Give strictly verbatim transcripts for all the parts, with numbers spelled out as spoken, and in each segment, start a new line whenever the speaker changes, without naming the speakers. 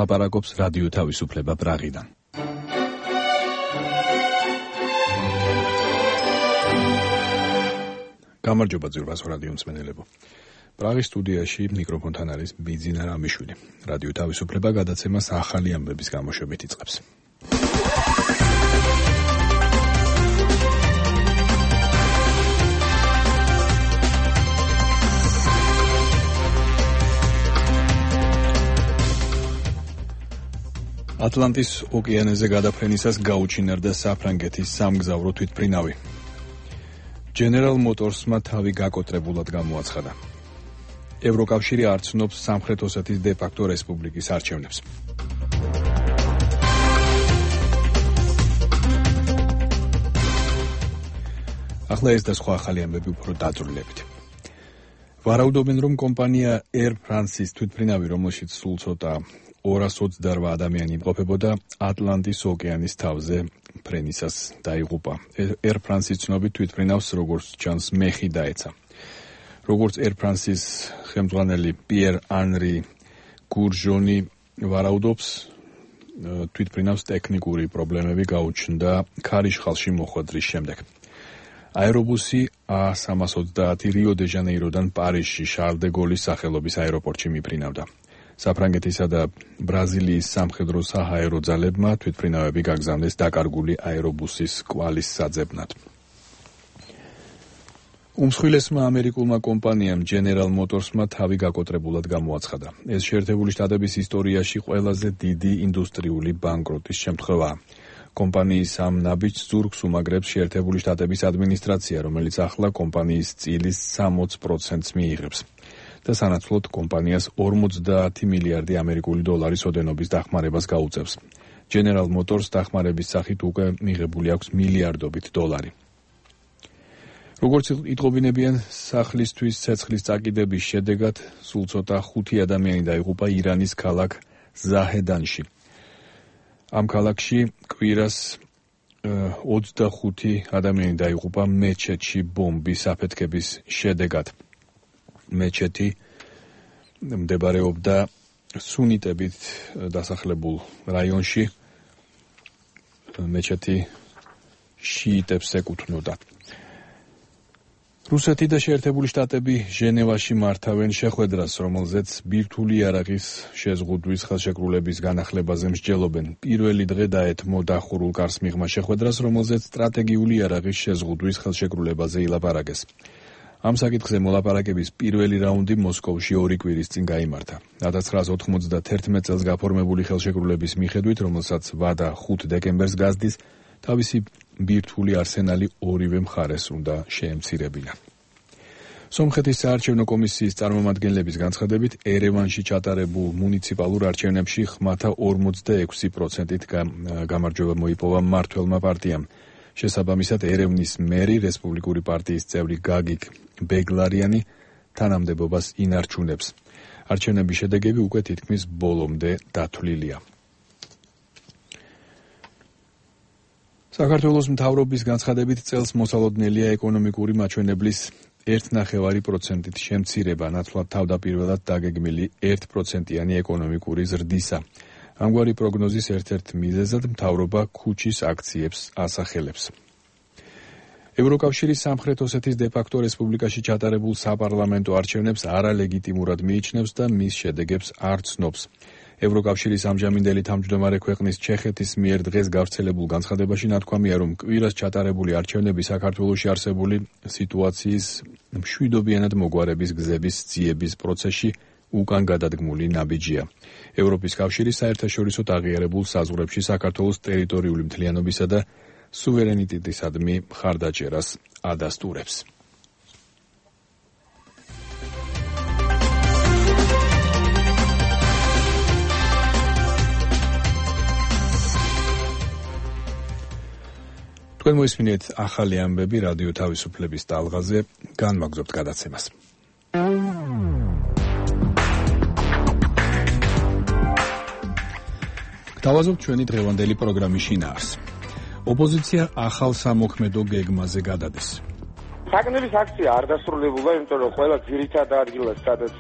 ლაპარაკობს რადიო თავისუფლება პრაღიდან. გამარჯობა ძვირფასო რადიო მსმენელებო. პრაღის სტუდიაში მიკროფონთან არის ბიძინა რამიშვილი. რადიო თავისუფლება გადაცემას ახალი ამბების გამოშვებით იწყებს. ატლანტის ოკეანეზე გადაფრენისას გაუჩინარდა საფრანგეთის სამგზავრო თვითმფრინავი. General Motors-მა თავი გაკოტრებულად გამოაცხადა. ევროკავშირი არ ცნობს სამხრეთ ოსეთის დე-ფაქტო რესპუბლიკის არჩევნებს. ახლა ეს და სხვა ახალი ამბები უფრო დაწვრილებით. ვარაუდობენ, რომ კომპანია Air France-ის თვითმფრინავი, რომელშიც სულ ცოტა ორას ოცდაორ ადამიანი იმყოფებოდა, ატლანტის ოკეანის თავზე ფრენისას დაიღუპა. Air France-ის ცნობით თვითმფრინავს, როგორც ჩანს, მეხი დაეცა. როგორც Air France-ის ხელმძღვანელი პიერ ანრი გურჟონი ვარაუდობს, თვითმფრინავს ტექნიკური პრობლემები გაუჩნდა ქარიშხალში მოხვედრის შემდეგ. აერობუსი A სამას ოცდაათი რიო-დე-ჟანეიროდან პარიზში შარლ დე გოლის სახელობის აეროპორტში მიფრინავდა. საფრანგეთისა და ბრაზილიის სამხედრო საჰაერო ძალებმა თვითმფრინავები გაგზავნეს დაკარგული აერობუსის კვალის საძებნად. უმსხვილესმა ამერიკულმა კომპანიამ General Motors-მა თავი გაკოტრებულად გამოაცხადა. ეს შეერთებული შტატების ისტორიაში ყველაზე დიდი ინდუსტრიული ბანკროტის შემთხვევაა. კომპანიის ამ ნაბიჯს ზურგს უმაგრებს შეერთებული შტატების ადმინისტრაცია, რომელიც ახლა კომპანიის წილის სამოც პროცენტს მიიღებს. და სანაცვლოდ კომპანიას ორმოცდაათი მილიარდი ამერიკული დოლარის ოდენობის დახმარებას გაუწევს. General Motors დახმარების სახით უკვე მიღებული აქვს მილიარდობით დოლარი. როგორც იტყობინებიან, სახლისთვის ცეცხლის წაკიდების შედეგად სულ ცოტა ხუთი ადამიანი დაიღუპა ირანის ქალაქ ზაჰედანში. ამ ქალაქში კვირას ოცდახუთი ადამიანი დაიღუპა მეჩეთში ბომბის აფეთქების შედეგად. მეჩეთი მდებარეობდა სუნიტებით დასახლებულ რაიონში. მეჩეთი შიიტებს ეკუთვნოდა. რუსეთი და შეერთებული შტატები ჟენევაში მართავენ შეხვედრას, რომელზეც ბირთვული იარაღის შეზღუდვის ხელშეკრულების განახლებაზე მსჯელობენ. პირველი დღე დაეთმო დახურულ კარს მიღმა შეხვედრას, რომელზეც სტრატეგიული იარაღის შეზღუდვის ხელშეკრულებაზე ილაპარაკეს. ამ საკითხზე მოლაპარაკების პირველი რაუნდი მოსკოვში ორი კვირის წინ გაიმართა. ათას ცხრაას ოთხმოცდაათი წელს გაფორმებული ხელშეკრულების მიხედვით, რომელსაც ვადა ხუთი დეკემბერს გაზდის, თავისი ბირთვული არსენალი ორივე მხარეს უნდა შეემცირებინა. სომხეთის საარჩევნო კომისიის წარმომადგენლების განცხადებით, ერევანში ჩატარებულ მუნიციპალურ არჩევნებში ხმათა ორმოცდაექვსი პროცენტით გამარჯვება მოიპოვა მმართველმა პარტიამ. შესაბამისად, ერევნის მერი, რესპუბლიკური პარტიის წევრი გაგიკ ბეგლარიანი თანამდებობას ინარჩუნებს. არჩევნების შედეგები უკვე თითქმის ბოლომდე დათვლილია. საქართველოს მთავრობის განცხადებით, წელს მოსალოდნელია ეკონომიკური მაჩვენებლის ერთი ნახევარი პროცენტით შემცირება, ნაცვლად თავდაპირველად დაგეგმილი ერთი პროცენტიანი ეკონომიკური ზრდისა. ამგვარი პროგნოზის ერთ-ერთ მიზეზად მთავრობა ქუჩის აქციებს ასახელებს. ევროკავშირი სამხრეთ ოსეთის დე-ფაქტო რესპუბლიკაში ჩატარებულ საპარლამენტო არჩევნებს არალეგიტიმურად მიიჩნევს და მის შედეგებს არ ცნობს. ევროკავშირის ამჟამინდელი თავმჯდომარე ქვეყნის ჩეხეთის მიერ დღეს გავრცელებულ განცხადებაში ნათქვამია, რომ კვირას ჩატარებული არჩევნები საქართველოში არსებული სიტუაციის მშვიდობიანად მოგვარების გზების ძიების პროცესში უკან გადადგმული ნაბიჯია. ევროპის კავშირი საერთაშორისოდ აღიარებულ საზღვრებში საქართველოს ტერიტორიული მთლიანობისა და სუვერენიტეტისადმი მხარდაჭერას ადასტურებს. თქვენ მოისმინეთ ახალი ამბები რადიო თავისუფლების ტალღაზე, განმაგზობთ გადაცემას. გთავაზობთ ჩვენი დღევანდელი პროგრამის შინაარს. ოპოზიცია ახალ სამოქმედო გეგმაზე გადადის.
საგნების აქცია არ დასრულებულა, იმიტომ რომ ყველა ძირითად ადგილას, სადაც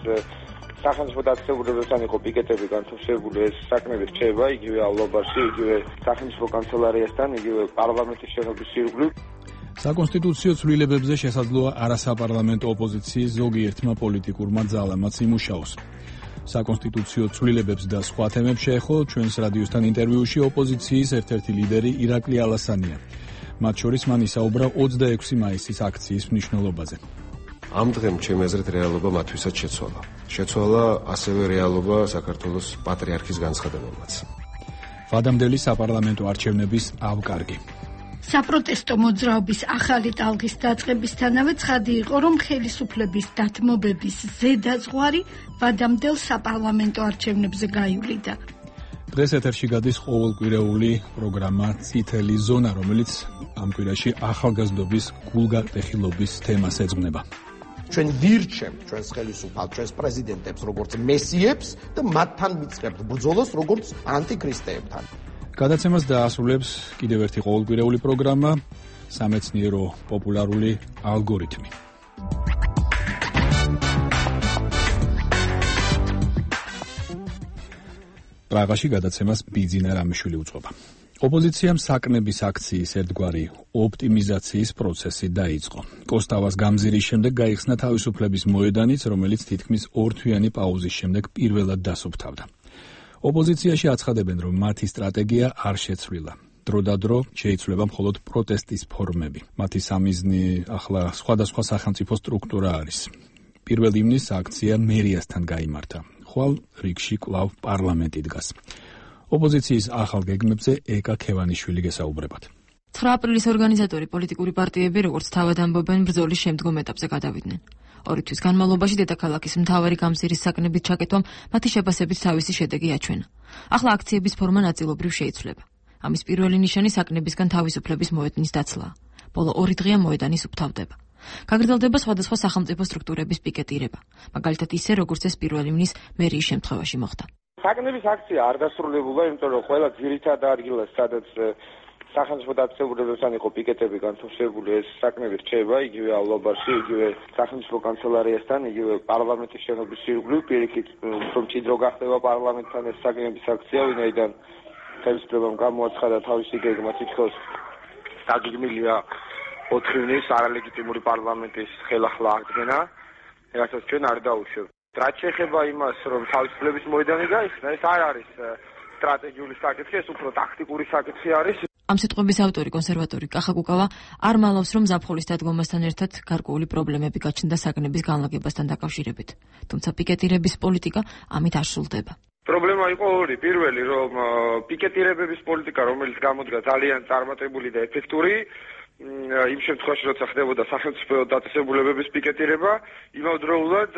სახელმწიფო დაწესებულებებთან იყო პიკეტები განთავსებული, ეს საკმაოდ რჩება იგივე აულობაში, იგივე სახელმწიფო კანცელარიასთან, იგივე პარლამენტის შენობის ირგვლივ.
საკონსტიტუციო ცვლილებებზე შესაძლოა არასაპარლამენტო ოპოზიციის ზოგიერთმა პოლიტიკურმა ძალამაც იმუშაოს. საკონსტიტუციო ცვლილებებს და სხვა თემებს შეეხო ჩვენს რადიოსთან ინტერვიუში ოპოზიციის ერთ-ერთი ლიდერი ირაკლი ალასანია. მათ შორის მან ისაუბრა ოცდაექვსი მაისის აქციის მნიშვნელობაზე.
ამ დღემ ჩემი აზრით რეალობა მათთვისაც შეცვალა. შეცვალა ასევე რეალობა საქართველოს პატრიარქის განცხადებამაც.
ვადამდელი საპარლამენტო არჩევნების ავკარგი.
საპროტესტო მოძრაობის ახალი ტალღის დაწყებისთანავე ცხადი იყო, რომ ხელისუფლების დათმობების ზედაზღვარი ვადამდელ საპარლამენტო არჩევნებზე გაივლიდა.
დღეს ეთერში გადის ყოველკვირეული პროგრამა წითელი ზონა, რომელიც ამ კვირაში ახალგაზრდობის გულგარტეხილობის თემას ეძღვნება.
ჩვენ ვირჩევთ ჩვენს ხელისუფალს, ჩვენს პრეზიდენტებს როგორც მესიებს და მათთან ვიწყებთ ბრძოლას როგორც ანტიქრისტეებთან.
გადაცემას დაასრულებს კიდევ ერთი ყოველკვირეული პროგრამა სამეცნიერო პოპულარული ალგორითმი. პრაღაში გადაცემას ბიძინა რამიშვილი უწყობა. ოპოზიციამ საკნების აქციის ერთგვარი ოპტიმიზაციის პროცესი დაიწყო. კოსტავას გამზირის შემდეგ გაიხსნა თავისუფლების მოედანიც, რომელიც თითქმის ორთვიანი პაუზის შემდეგ პირველად დასუფთავდა. ოპოზიციაში აცხადებენ, რომ მათი სტრატეგია არ შეცვლილა. დროდადრო შეიცვლება მხოლოდ პროტესტის ფორმები. მათი სამიზნი ახლა სხვადასხვა სახელმწიფო სტრუქტურა არის. პირველ ივნისს აქცია მერიასთან გაიმართა. ხვალ რიგში კვლავ პარლამენტი დგას. ოპოზიციის ახალ გეგმებზე ეკა ქევანიშვილი გესაუბრებათ.
ცხრა აპრილის ორგანიზატორი პოლიტიკური პარტიები, როგორც თავად ამბობენ, ბრძოლის შემდგომ ეტაპზე გადავიდნენ. ორი თვის განმავლობაში დედაქალაქის მთავარი გამზირის საკნებით ჩაკეთვამ მათი შეფასებით თავისი შედეგი აჩვენა. ახლა აქციების ფორმა ნაწილობრივ შეიცვლება. ამის პირველი ნიშანი საკნებისგან თავისუფლების მოედნის დაცლაა. ბოლო ორი დღეა მოედანის უფთავდება. გაგრძელდება სხვადასხვა სახელმწიფო სტრუქტურების პიკეტირება, მაგალითად ისე, როგორც ეს პირველ ივნის მერიის შემთხვევაში მოხდა.
საკნების აქცია არ დასრულებულა, იმიტომ რომ ყველა ძირითად ადგილას, სადაც სახელმწიფო დაწესებულებებთან იყო პიკეტები განთავსებული, ეს საკნები რჩება იგივე აულობაში, იგივე სახელმწიფო კანცელარიასთან, იგივე პარლამენტის შენობის ირგვლივ, პირიქით, უფრო მჭიდრო გახდება პარლამენტთან ეს საკნების აქცია, ვინაიდან ხელისუფლებამ გამოაცხადა თავისი გეგმა თითქოს დაგეგმილია ოთხ ივნის არალეგიტიმური პარლამენტის ხელახლა აღდგენა, რასაც ჩვენ არ დაუშვებთ. რაც შეეხება იმას, რომ თავისუფლების მოედანი გაიხსნა, ეს არ არის სტრატეგიული საკითხი, ეს უფრო ტაქტიკური საკითხი არის.
ამ სიტყვების ავტორი კონსერვატორი კახა კუკავა არ მალავს, რომ ზაფხულის დადგომასთან ერთად გარკვეული პრობლემები გაჩნდა საკნების განლაგებასთან დაკავშირებით. თუმცა პიკეტირების პოლიტიკა ამით არ სრულდება.
პრობლემა იყო ორი. პირველი, რომ პიკეტირებების პოლიტიკა, რომელიც გამოდგა ძალიან წარმატებული და ეფექტური, იმ შემთხვევაში, როცა ხდებოდა სახელმწიფო დაწესებულებების პიკეტირება, იმავდროულად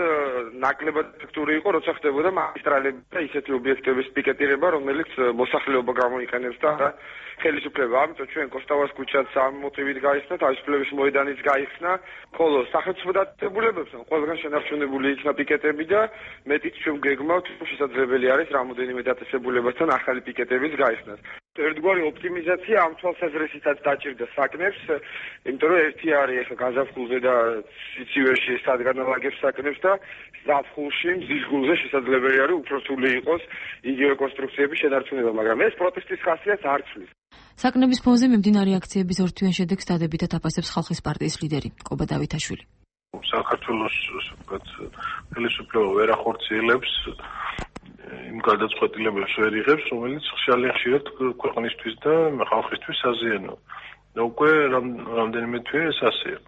ნაკლებად ეფექტური იყო, როცა ხდებოდა მაგისტრალები და ისეთი ობიექტების პიკეტირება, რომელიც მოსახლეობა გამოიყენებს და ხელისუფლება. ამიტომ ჩვენ კოსტავას ქუჩაც ამ მოტივით გაიხსნა, თავისუფლების მოედანიც გაიხსნა, ხოლო სახელმწიფო დაწესებულებებთან ყველგან შენარჩუნებული იქნა პიკეტები და მეტიც ჩვენ გეგმავთ, შესაძლებელი არის რამოდენიმე დაწესებულებასთან ახალი პიკეტების გაიხსნას. ერთგვარი ოპტიმიზაცია ამ თვალსაზრისითაც დაჭირდა საკნებს, იმიტომ რომ ერთი არის ახლა გაზაფხულზე და სიცივეში სადგანალაგებს საკნებს და ზაფხულში მზისგულზე შესაძლებელი არის უფრო რთული იყოს იგივე კონსტრუქციების შენარჩუნება, მაგრამ ეს პროტესტის ხასიათს არ ცვლის.
საკნების ფონზე მიმდინარე აქციების ორთვიან შედეგს დადებითად აფასებს ხალხის პარტიის ლიდერი კობა დავითაშვილი.
საქართველოს ხელისუფლება ვერ ახორციელებს იმ გადაწყვეტილებებს ვერ იღებს, რომელიც ხშირად ქვეყნისთვის და ხალხისთვის საზიანოა. და უკვე რამდენიმე თვე ეს ასეა.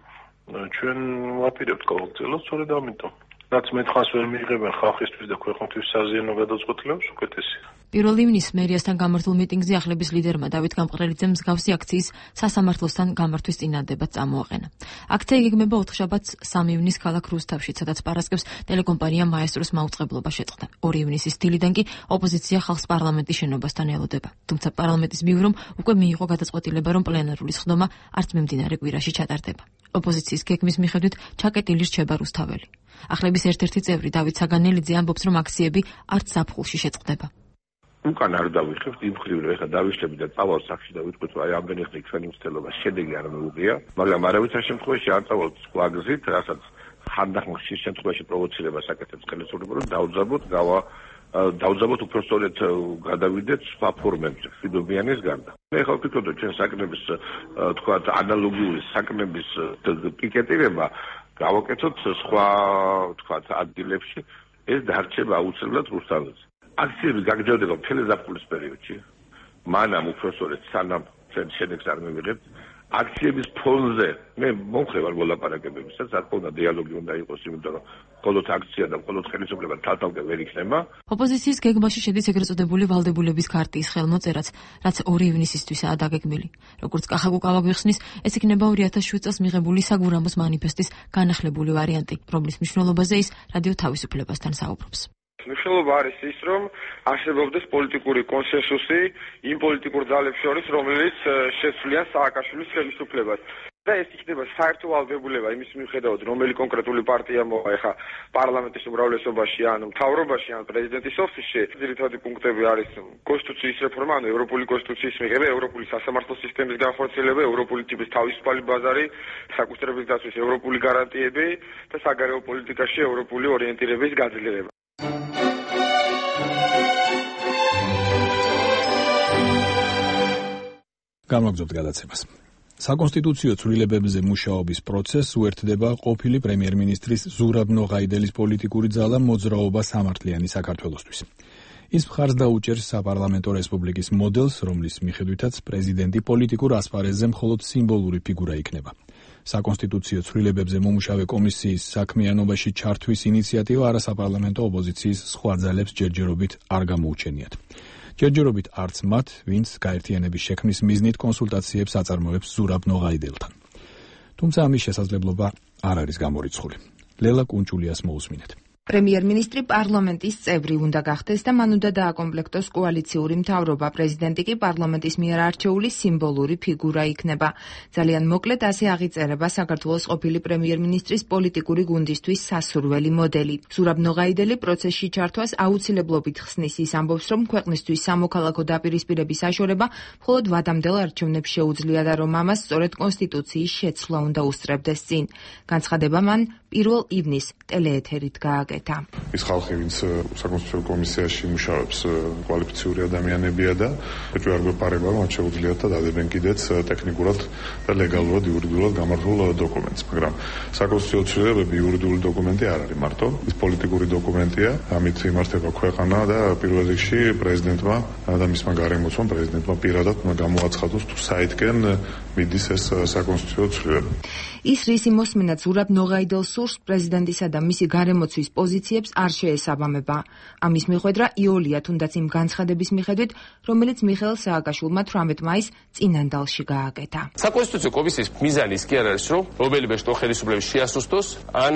ჩვენ ვაპირებთ გავაგრძელოთ, სწორედ ამიტომ. რაც მეტხანს ვერ მიიღებენ ხალხისთვის და ქვეყნისთვის საზიანო გადაწყვეტილებებს, უკეთესია.
პირველ ივნისს მერიასთან გამართულ მიტინგზე ახლების ლიდერმა დავით გამყრელიძემ მსგავსი აქციის სასამართლოსთან გამართვის წინადადებაც წამოაყენა. აქცია იგეგმება ოთხშაბათს სამი ივნისს ქალაქ რუსთავში, სადაც პარასკევს ტელეკომპანია მაესტროს მაუწყებლობა შეწყდა. ორი ივნისის დილიდან კი ოპოზიცია ხალხს პარლამენტის შენობასთან ელოდება. თუმცა პარლამენტის ბიურომ უკვე მიიღო გადაწყვეტილება, რომ პლენარული სხდომა არც მიმდინარე კვირაში ჩატარდება. ოპოზიციის გეგმის მიხედვით ჩაკეტილი რჩება რუსთაველი. ახლების ერთ-ერთი წევრი დავით საგანელიძე ამბობს, რომ აქციები არც ზაფხულში შეწყდება.
უკან არ დავიხებთ იმ მხრივ, რომ ეხლა დავიშლები და წავალ სახში და ვიტყვით, რომ აი ამდენი ხნით ჩვენი მცდელობა შედეგი არ მოუღია, მაგრამ არავითარ შემთხვევაში არ წავალ სხვა გზით, რასაც ხანდახან ხშირ შემთხვევაში პროვოცირებას აკეთებს ხელისუფლება, რომ დაუძაბოთ გავა დაუძაბოთ უფრო სწორედ გადავიდეთ სხვა ფორმებზე მშვიდობიანის გარდა. მე ხო ვფიქრობ, ჩვენ საკნების თქვა ანალოგიური საკნების პიკეტირება გავაკეთოთ სხვა თქვა ადგილებში, ეს დარჩება აუცილებლად რუსთაველზე. აქციები გაგრძელდება მთელი ზაფხულის პერიოდში. მანამ უფრო სწორედ სანამ ჩვენ შედეგს არ მივიღებთ, აქციების ფონზე მე მომხევარ მოლაპარაკებებისაც, რა თქმა უნდა დიალოგი უნდა იყოს, იმიტომ რომ მხოლოდ აქცია და მხოლოდ ხელისუფლება თავთავკე ვერ იქნება.
ოპოზიციის გეგმაში შედის ეგრეთ წოდებული ვალდებულების ქარტიის ხელმოწერაც, რაც ორი ივნისისთვისაა დაგეგმილი. როგორც კახაკუკავა გვიხსნის, ეს იქნება ორი ათას შვიდ წელს მიღებული საგურამოს მანიფესტის განახლებული ვარიანტი, რომლის მნიშვნელობაზე ის რადიო თავისუფლებასთან საუბრობს.
მნიშვნელობა არის ის, რომ არსებობდეს პოლიტიკური კონსენსუსი იმ პოლიტიკურ ძალებს შორის, რომელიც შეცვლიან სააკაშვილის ხელისუფლებას. და ეს იქნება საერთო ვალდებულება იმის მიუხედავად, რომელი კონკრეტული პარტია მოვა ეხა პარლამენტის უმრავლესობაში, ან მთავრობაში, ან პრეზიდენტის ოფისში. ძირითადი პუნქტები არის კონსტიტუციის რეფორმა, ანუ ევროპული კონსტიტუციის მიღება, ევროპული სასამართლო სისტემის განხორციელება, ევროპული ტიპის თავისუფალი ბაზარი, საკუთრების დაცვის ევროპული გარანტიები და საგარეო პოლიტიკაში ევროპული ორიენტირების გაძლიერება.
გამოგზავნოთ გადაცემას. საკონსტიტუციო ცვლილებებზე მუშაობის პროცესს უერთდება ყოფილი პრემიერ-მინისტრის ზურაბ ნოღაიდელის პოლიტიკური ძალა მოძრაობა სამართლიანი საქართველოსთვის. ის მხარს დაუჭერს საპარლამენტო რესპუბლიკის მოდელს, რომლის მიხედვითაც პრეზიდენტი პოლიტიკურ ასპარეზზე მხოლოდ სიმბოლური ფიგურა იქნება. საკონსტიტუციო ცვლილებებზე მომუშავე კომისიის საქმიანობაში ჩართვის ინიციატივა არასაპარლამენტო ოპოზიციის სხვა ძალებს ჯერჯერობით არ გამოუჩენიათ. ჯერჯერობით არც მათ, ვინც გაერთიანების შექმნის მიზნით კონსულტაციებს აწარმოებს ზურაბ ნოღაიდელთან. თუმცა ამის შესაძლებლობა არ არის გამორიცხული. ლელა კუნჭულიას მოусმინეთ.
პრემიერ-მინისტრი პარლამენტის წევრი უნდა გახდეს და მან უნდა დააკომპლექტოს კოალიციური მთავრობა. პრეზიდენტი კი პარლამენტის მიერ არჩეული სიმბოლური ფიგურა იქნება. ძალიან მოკლედ ასე აღიწერება საქართველოს ყოფილი პრემიერ-მინისტრის პოლიტიკური გუნდისთვის სასურველი მოდელი. ზურაბ ნოღაიდელი პროცესში ჩართვას აუცილებლობით ხსნის. ის ამბობს, რომ ქვეყნისთვის სამოქალაქო დაპირისპირების აშორება მხოლოდ ვადამდელ არჩევნებს შეუძლია და რომ ამას სწორედ კონსტიტუციის შეცვლა უნდა უსწრებდეს წინ. განცხადება მან პირველ ივნისს ტელეეთერით გააკეთა.
ის ხალხი, ვინც საკონსტიტუციო კომისიაში მუშაობს, კვალიფიციური ადამიანებია და ეჭვი არ გვეპარება, რომ მათ შეუძლიათ და დადებენ კიდეც ტექნიკურად და ლეგალურად, იურიდიულად გამართულ დოკუმენტს, მაგრამ საკონსტიტუციო ცვლილებები იურიდიული დოკუმენტი არ არის მარტო, ის პოლიტიკური დოკუმენტია, ამით იმართება ქვეყანა და პირველ რიგში პრეზიდენტმა და მისმა გარემოცვამ პრეზიდენტმა პირადად უნდა გამოაცხადოს თუ საითკენ მიდის ეს საკონსტიტუციო ცვლილება.
ის რისი მოსმენაც ზურაბ ნოღაიდელს სურს, პრეზიდენტისა და მისი გარემოცვის პოზიციებს არ შეესაბამება. ამის მიხედვა იოლია, თუნდაც იმ განცხადების მიხედვით, რომელიც მიხეილ სააკაშვილმა თვრამეტ მაისს წინანდალში გააკეთა.
საკონსტიტუციო კომისიის მიზანი ის კი არ არის, რომ რომელიმე შტო ხელისუფლების შეასუსტოს ან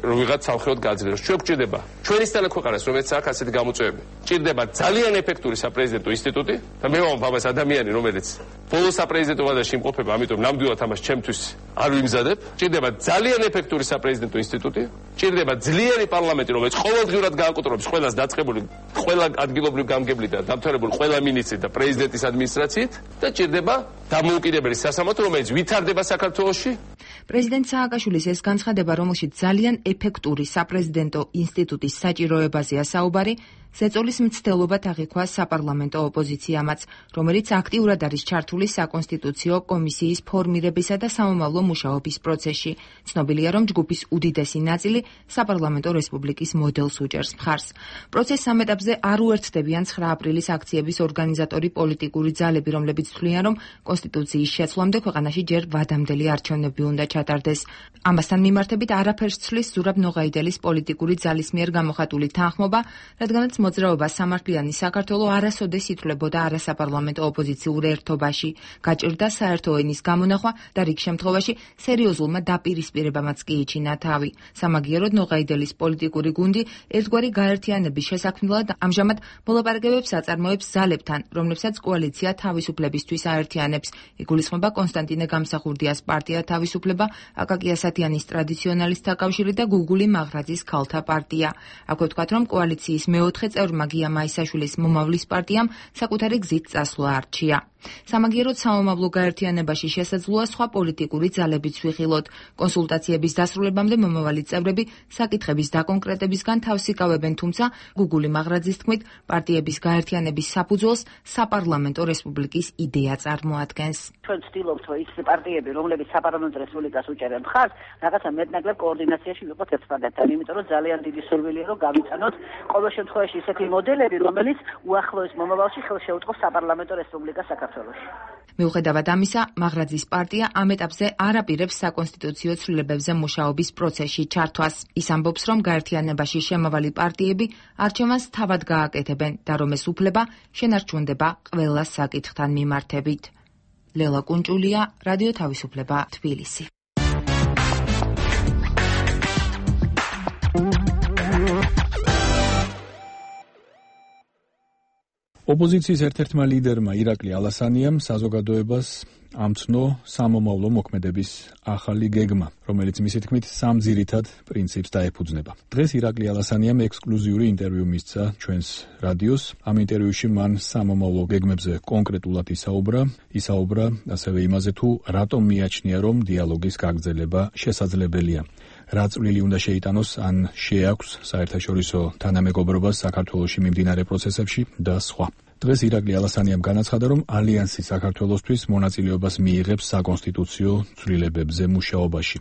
ვიღაც სამხედრო გაძლიეროს. ჩვენ გვჭირდება ჩვენისთანა ქვეყანას, რომელიც აქვს ასეთი გამოწვევები. გვჭირდება ძალიან ეფექტური საპრეზიდენტო ინსტიტუტი და მე ვამბობ ამას ადამიანი, რომელიც ბოლო საპრეზიდენტო ვადაში იმყოფება, ამიტომ ნამდვილად ამას ჩემთვის არ ვიმზადებ. ჭირდება ძალიან ეფექტური საპრეზიდენტო ინსტიტუტი, ჭირდება ძლიერი პარლამენტი, რომელიც ყოველდღიურად გააკონტროლებს ყველას დაწყებული, ყველა ადგილობრივ გამგებლით და დამთავრებული ყველა მინისტრით და პრეზიდენტის ადმინისტრაციით და ჭირდება დამოუკიდებელი სასამართლო, რომელიც ვითარდება საქართველოში.
პრეზიდენტ სააკაშვილის ეს განცხადება, რომელშიც ძალიან ეფექტური საპრეზიდენტო ინსტიტუტის საჭიროებაზეა საუბარი, ზეწოლის მცდელობად აღიქვა საპარლამენტო ოპოზიციამაც, რომელიც აქტიურად არის ჩართული საკონსტიტუციო კომისიის ფორმირებისა და სამომავლო მუშაობის პროცესში. ცნობილია, რომ ჯგუფის უდიდესი ნაწილი საპარლამენტო რესპუბლიკის მოდელს უჭერს მხარს. პროცესს ამ ეტაპზე არ უერთდებიან ცხრა აპრილის აქციების ორგანიზატორი პოლიტიკური ძალები, რომლებიც თვლიან, რომ კონსტიტუციის შეცვლამდე ქვეყანაში ჯერ ვადამდელი არჩევნები უნდა ჩატარდეს. ამასთან მიმართებით არაფერს ცვლის ზურაბ ნოღაიდელის პოლიტიკური ძალის მიერ გამოხატული თანხმობა, რადგანაც მოძრაობა სამართლიანი საქართველო არასოდეს ითვლებოდა არასაპარლამენტო ოპოზიციურ ერთობაში. გაჭირდა საერთო ენის გამონახვა და რიგ შემთხვევაში სერიოზულმა დაპირისპირებამაც კი იჩინა თავი. სამაგიეროდ ნოღაიდელის პოლიტიკური გუნდი ერთგვარი გაერთიანების შესაქმნელად ამჟამად მოლაპარაკებებს აწარმოებს ძალებთან, რომლებსაც კოალიცია თავისუფლებისთვის აერთიანებს. იგულისხმება კონსტანტინე გამსახურდიას პარტია თავისუფლება, აკაკი ასათიანის ტრადიციონალისტთა კავშირი და გუგული მაღრაძის ქალთა პარტია. აქვე ვთქვათ, რომ კოალიციის მეოთხე წევრმა გია მაისაშვილის მომავლის პარტიამ საკუთარი გზით წასვლა არჩია. სამაგიეროდ სამომავლო გაერთიანებაში შესაძლოა სხვა პოლიტიკური ძალებიც ვიხილოთ. კონსულტაციების დასრულებამდე მომავალი წევრები საკითხების დაკონკრეტებისგან თავს იკავებენ, თუმცა გუგული მაღრაძის თქმით, პარტიების გაერთიანების საფუძველს საპარლამენტო რესპუბლიკის იდეა წარმოადგენს.
ჩვენ ვცდილობთ, რომ ის პარტიები, რომლებიც საპარლამენტო რესპუბლიკას უჭერენ მხარს, რაღაცა მეტნაკლებ კოორდინაციაში ვიყოთ ერთმანეთთან, იმიტომ რომ ძალიან დიდი სურვილია, რომ გავიწანოთ ყოველ შემთხვევაში ისეთი მოდელები, რომელიც უახლოეს მომავალში ხელს შეუწყობს საპარლამენტო რესპუბლიკას საქართველოში.
მიუხედავად ამისა, მაღრაძის პარტია ამ ეტაპზე არ აპირებს საკონსტიტუციო ცვლილებებზე მუშაობის პროცესში ჩართვას. ის ამბობს, რომ გაერთიანებაში შემავალი პარტიები არჩევანს თავად გააკეთებენ და რომ ეს უფლება შენარჩუნდება ყველა საკითხთან მიმართებით. ლელა კუნჭულია, რადიო თავისუფლება, თბილისი.
ოპოზიციის ერთ-ერთმა ლიდერმა ირაკლი ალასანიამ საზოგადოებას ამცნო სამომავლო მოქმედების ახალი გეგმა, რომელიც მისი თქმით სამ ძირითად პრინციპს დაეფუძნება. დღეს ირაკლი ალასანიამ ექსკლუზიური ინტერვიუ მისცა ჩვენს რადიოს. ამ ინტერვიუში მან სამომავლო გეგმებზე კონკრეტულად ისაუბრა, ისაუბრა ასევე იმაზე, თუ რატომ მიაჩნია, რომ დიალოგის გაგრძელება შესაძლებელია. რა წვლილი უნდა შეიტანოს ან შეაქვს საერთაშორისო თანამეგობრობას საქართველოში მიმდინარე პროცესებში და სხვა. დღეს ირაკლი ალასანიამ განაცხადა, რომ ალიანსი საქართველოსთვის მონაწილეობას მიიღებს საკონსტიტუციო ცვლილებებზე მუშაობაში.